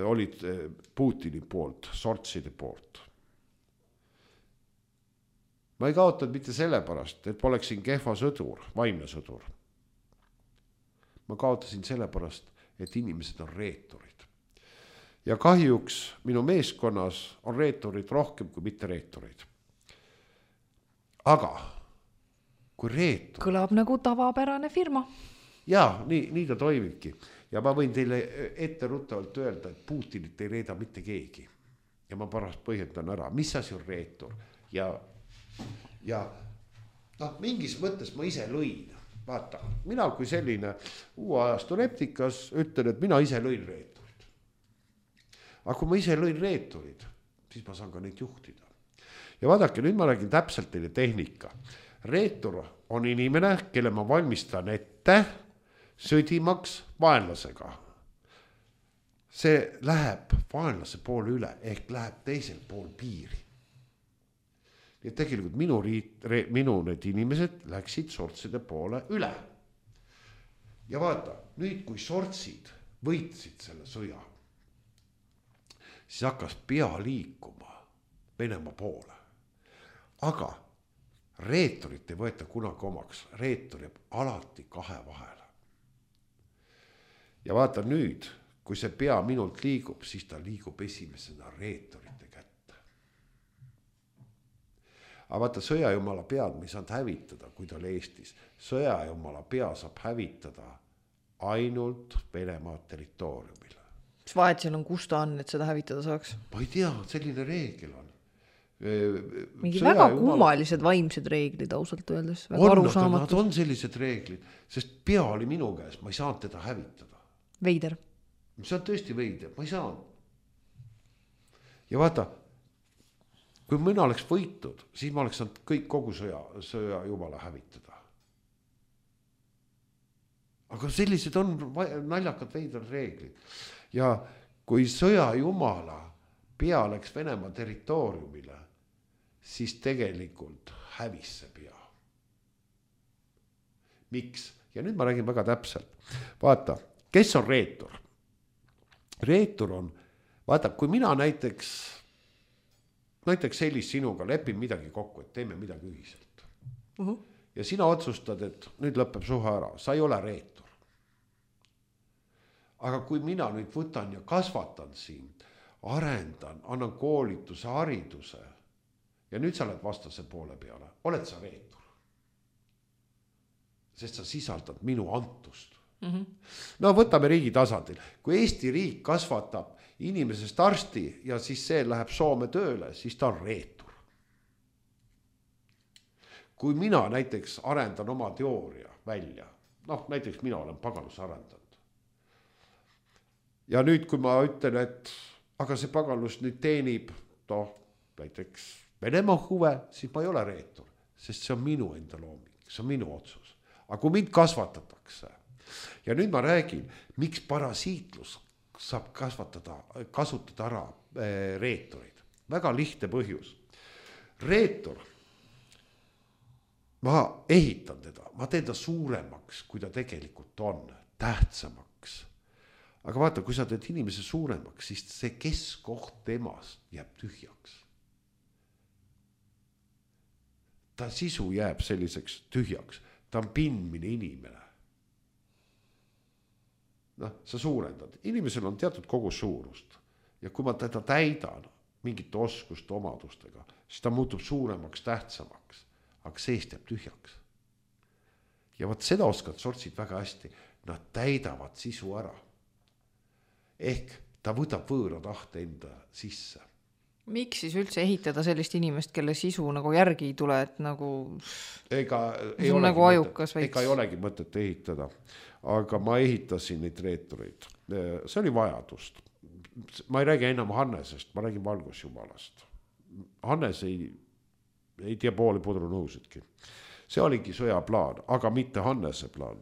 olid Putini poolt, sortside poolt. Ma ei kaotanud mitte sellepärast, et poleksin kehva sõdur, vaimne sõdur. Ma kaotasin sellepärast, et inimesed on reetorid. Ja kahjuks minu meeskonnas on reetorid rohkem kui mitte reetorid. Aga kui reetor... Kõlab nagu tavapärane firma. Jaa, nii, nii ta toimibki. Ja ma võin teile ette ruttavalt öelda, et Putinit ei reeda mitte keegi. Ja ma pärast põhjendan ära, mis asi on reetor. Ja, ja no, mingis mõttes ma ise lõin. Vaata, mina kui selline uue ajastu reptikas ütlen, et mina ise lõin reetorid. Aga kui ma ise lõin reetorid, siis ma saan ka neid juhtida. Ja vaadake, nüüd ma räägin täpselt teile tehnika. Reetor on inimene, kelle ma valmistan ette sõdimaks vaenlasega. See läheb vaenlase poole üle, ehk läheb teisel pool piiri. Nii et tegelikult minu, riit, re, minu need inimesed läksid sortside poole üle. Ja vaata, nüüd kui sortsid võitsid selle sõja, siis hakkas pea liikuma Venemaa poole. Aga reetorit ei võeta kunagi omaks, reetor jääb alati kahe vahele. Ja vaata nüüd, kui see pea minult liigub, siis ta liigub esimesena reetorite kätte. Aga vaata, sõjajumala pead me ei saanud hävitada, kui ta oli Eestis. Sõjajumala pea saab hävitada ainult Venemaa territooriumil. Mis vahet seal on, kus ta on, et seda hävitada saaks? Ma ei tea, selline reegel on. mingi väga kummalised vaimsed reeglid ausalt öeldes. On, nad on sellised reeglid, sest pea oli minu käes, ma ei saanud teda hävitada. Veider. See on tõesti veider, ma ei saanud. Ja vaata, kui mina oleks võitud, siis ma oleks saanud kõik kogu sõja, sõja jumala hävitada. Aga sellised on naljakad veidrad reeglid. Ja kui sõja jumala pea läks Venemaa territooriumile, siis tegelikult hävis see pea. Miks? Ja nüüd ma räägin väga täpselt. Vaata, kes on reetur? Reetur on, vaata, kui mina näiteks, näiteks Helis sinuga lepin midagi kokku, et teeme midagi ühiselt. Uh-huh. Ja sina otsustad, et nüüd lõpeb suhe ära, sa ei ole reetur. Aga kui mina nüüd võtan ja kasvatan sind, arendan, annan koolituse, hariduse ja nüüd sa oled vastase poole peale, oled sa reetur. Sest sa sisaldad minu antust. Mm-hmm. No võtame riigi tasandil. Kui Eesti riik kasvatab inimesest arsti ja siis see läheb Soome tööle, siis ta on reetur. Kui mina näiteks arendan oma teooria välja, noh näiteks mina olen pagalus arendanud. Ja nüüd, kui ma ütlen, et aga see pagalus nüüd teenib no, näiteks Venemaa huve, siis ma ei ole reetur, sest see on minu enda looming, see on minu otsus. Aga kui mind kasvatatakse ja nüüd ma räägin, miks parasiitlus saab kasvatada, kasutada ära reeturid. Väga lihtne põhjus. Reetur, ma ehitan teda, ma teen ta suuremaks, kui ta tegelikult on, tähtsamaks. Aga vaata, kui sa teed inimese suuremaks, siis see keskoht temast jääb tühjaks. Ta sisu jääb selliseks tühjaks. Ta on pindmine inimene. Noh, sa suurendad. Inimesel on teatud kogu suurust. Ja kui ma teda täidan mingite oskuste omadustega, siis ta muutub suuremaks, tähtsamaks. Aga seest jääb tühjaks. Ja vaat seda oskad sortsid väga hästi. Nad täidavad sisu ära. Ehk ta võtab võõra tahte enda sisse. Miks siis üldse ehitada sellist inimest, kelle sisu nagu järgi ei tule, et nagu, ega ei, olegi nagu ajukas mõtet, ega ei olegi mõtet ehitada. Aga ma ehitasin neid reetureid. See oli vajadust. Ma ei räägi enam Hannesest, ma räägin valgusjumalast. Hannes ei, ei tea pooli pudru nõusidki. See oligi sõja plaan, aga mitte Hannese plaan.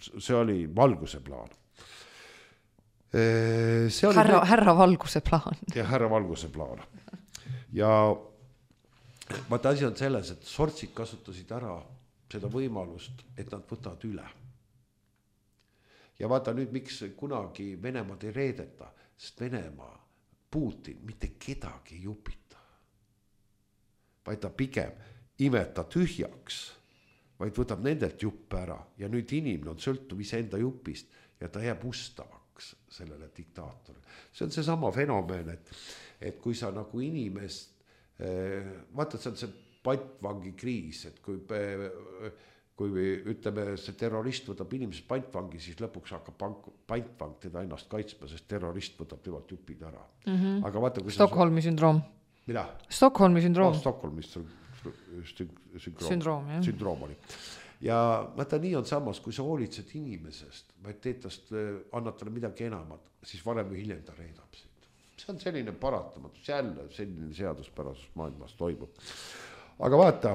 See oli valguse plaan. See oli härra, härra valguse plaan. Ja härra valguse plaan. Ja vaata asi on selles, et sortsid kasutasid ära seda võimalust, et nad võtavad üle. Ja vaata nüüd, miks kunagi Venemaad ei reedeta, sest Venemaa, Putin mitte kedagi ei jupita. Vaid ta pigem imeta tühjaks, vaid võtab nendelt juppe ära ja nüüd inimene on sõltuv iseenda jupist ja ta jääb ustavaks sellele diktaatorile. See on see sama fenomen, et, et kui sa nagu inimest, vaata, see on see pantvangi kriis, et kui, kui ütleme, see terrorist võtab inimesest pantvangi, siis lõpuks hakkab pantvang teda ennast kaitsma, sest terrorist võtab temalt jupid ära. Mm-hmm. Aga vaata, kui Stockholmi sündroom. Mida? Stockholmi sündroom. Oh, Stockholmi sündroom. Sündroom, jah. Sündroom oli. Ja vaata, nii on samas, kui sa hoolitsed inimesest, vaid teetast, annad talle midagi enamat, siis varem või hiljem ta reedab sind. See on selline paratamatus, jälle selline seaduspärasus maailmas toimub. Aga vaata,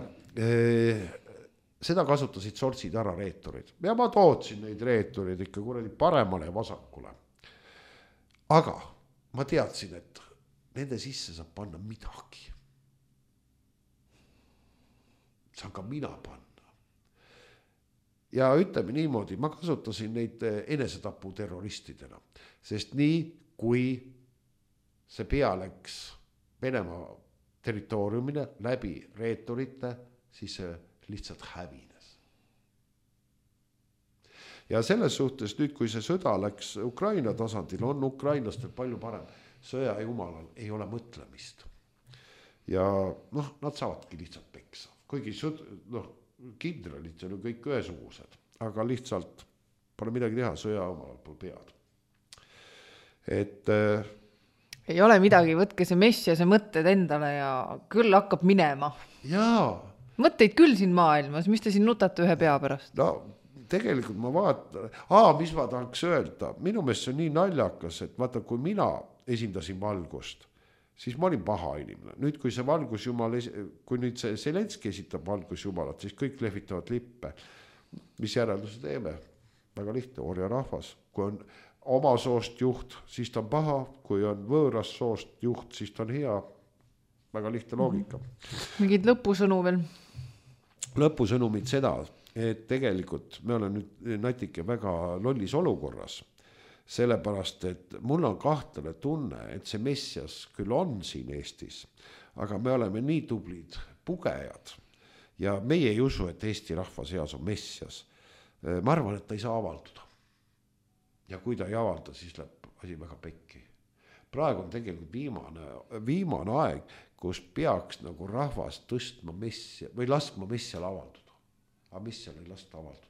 seda kasutasid sortsid ära reeturid. Ja ma tootsin neid reeturid ikka kuradi paremale ja vasakule. Aga ma teadsin, et nende sisse saab panna midagi. Saan ka mina panna. Ja ütleme niimoodi, ma kasutasin neid enesetapu terroristidena, sest nii kui see pea läks Venemaa territooriumile läbi reeturite, siis see lihtsalt hävines. Ja selles suhtes nüüd, kui see sõda läks Ukraina tasandil, on ukrainlastel palju parem. Sõja jumalal ei ole mõtlemist. Ja noh, nad saavadki lihtsalt peksa. Kuigi sõd, noh, kindralid on ju kõik ühesugused, aga lihtsalt pole midagi teha, sõja omal pool pead. Et ei ole midagi, võtke see mess ja see mõtted endale ja küll hakkab minema. Jaa. Mõtteid küll siin maailmas, mis te siin nutate ühe pea pärast? No tegelikult ma vaatan, aa, mis ma tahaks öelda, minu meelest see on nii naljakas, et vaata, kui mina esindasin valgust, siis ma olin paha inimene. Nüüd, kui see valgusjumal, kui nüüd see Zelenski esitab valgusjumalat, siis kõik lehvitavad lippe. Mis järelduse teeme? Väga lihtne, orja rahvas. Kui on oma soost juht, siis ta on paha, kui on võõras soost juht, siis ta on hea. Väga lihtne loogika. Mingid lõpusõnu veel? Lõpusõnumid seda, et tegelikult me oleme nüüd natike väga lollis olukorras, sellepärast, et mul on kahtlane tunne, et see messias küll on siin Eestis, aga me oleme nii tublid pugejad ja meie ei usu, et Eesti rahva seas on messias. Ma arvan, et ta ei saa avalduda. Ja kui ta ei avalda, siis läheb asi väga pekki. Praegu on tegelikult viimane, viimane aeg, kus peaks nagu rahvas tõstma messia või laskma messial avalduda. Aga messial ei lasta avalduda.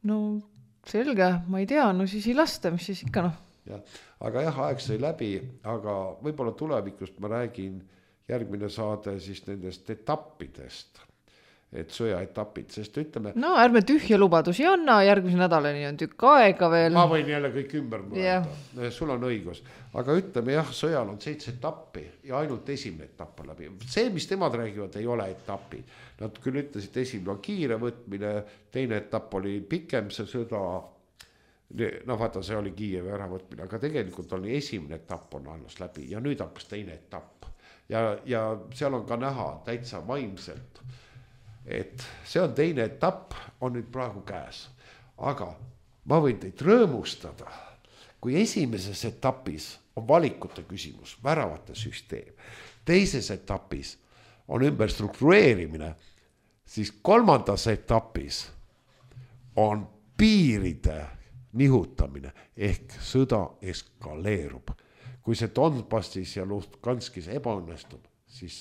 No selge, ma ei tea, no siis ei lasta, mis siis ikka noh. Ja, aga jah, aeg sai läbi, aga võib-olla tulevikust ma räägin järgmine saade siis nendest etappidest, et sõjaetapid, sest ütleme... No ärme tühja lubadusi anna, järgmise nädalani on tükk aega veel. Ma võin jälle kõik ümber mõelda, yeah. Sul on õigus. Aga ütleme jah, sõjal on seitse etappi ja ainult esimene etapp on läbi. See, mis temad räägivad, ei ole etappi. Nad küll ütlesid, esimene on kiire võtmine, teine etapp oli pikem see sõda, no vaata, see oli Kiievi äravõtmine, aga tegelikult oli esimene etapp on alles läbi ja nüüd hakkas teine etapp. Ja, ja seal on ka näha täitsa vaimselt, et see on teine etapp, on nüüd praegu käes. Aga ma võin teid rõõmustada, kui esimeses etapis on valikute küsimus, väravate süsteem, teises etapis on ümber struktureerimine, siis kolmandas etapis on piiride nihutamine ehk sõda eskaleerub. Kui see Donbassis ja Luhanskis ebaõnnestub, siis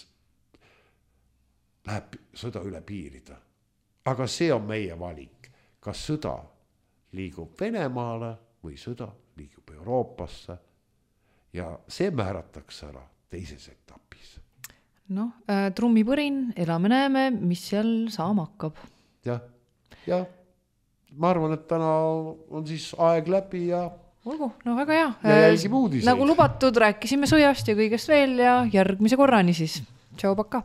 läheb sõda üle piirida. Aga see on meie valik. Kas sõda liigub Venemaale või sõda liigub Euroopasse ja see määratakse ära teises etapis. Noh, äh, trummipõrin, elame näeme, mis seal saama hakkab. Ja, ja ma arvan, et täna on siis aeg läbi ja olgu, no väga hea. Ja jälgime uudiseid. Nagu lubatud, rääkisime sõjast ja kõigest veel ja järgmise korrani siis. Tšau, paka!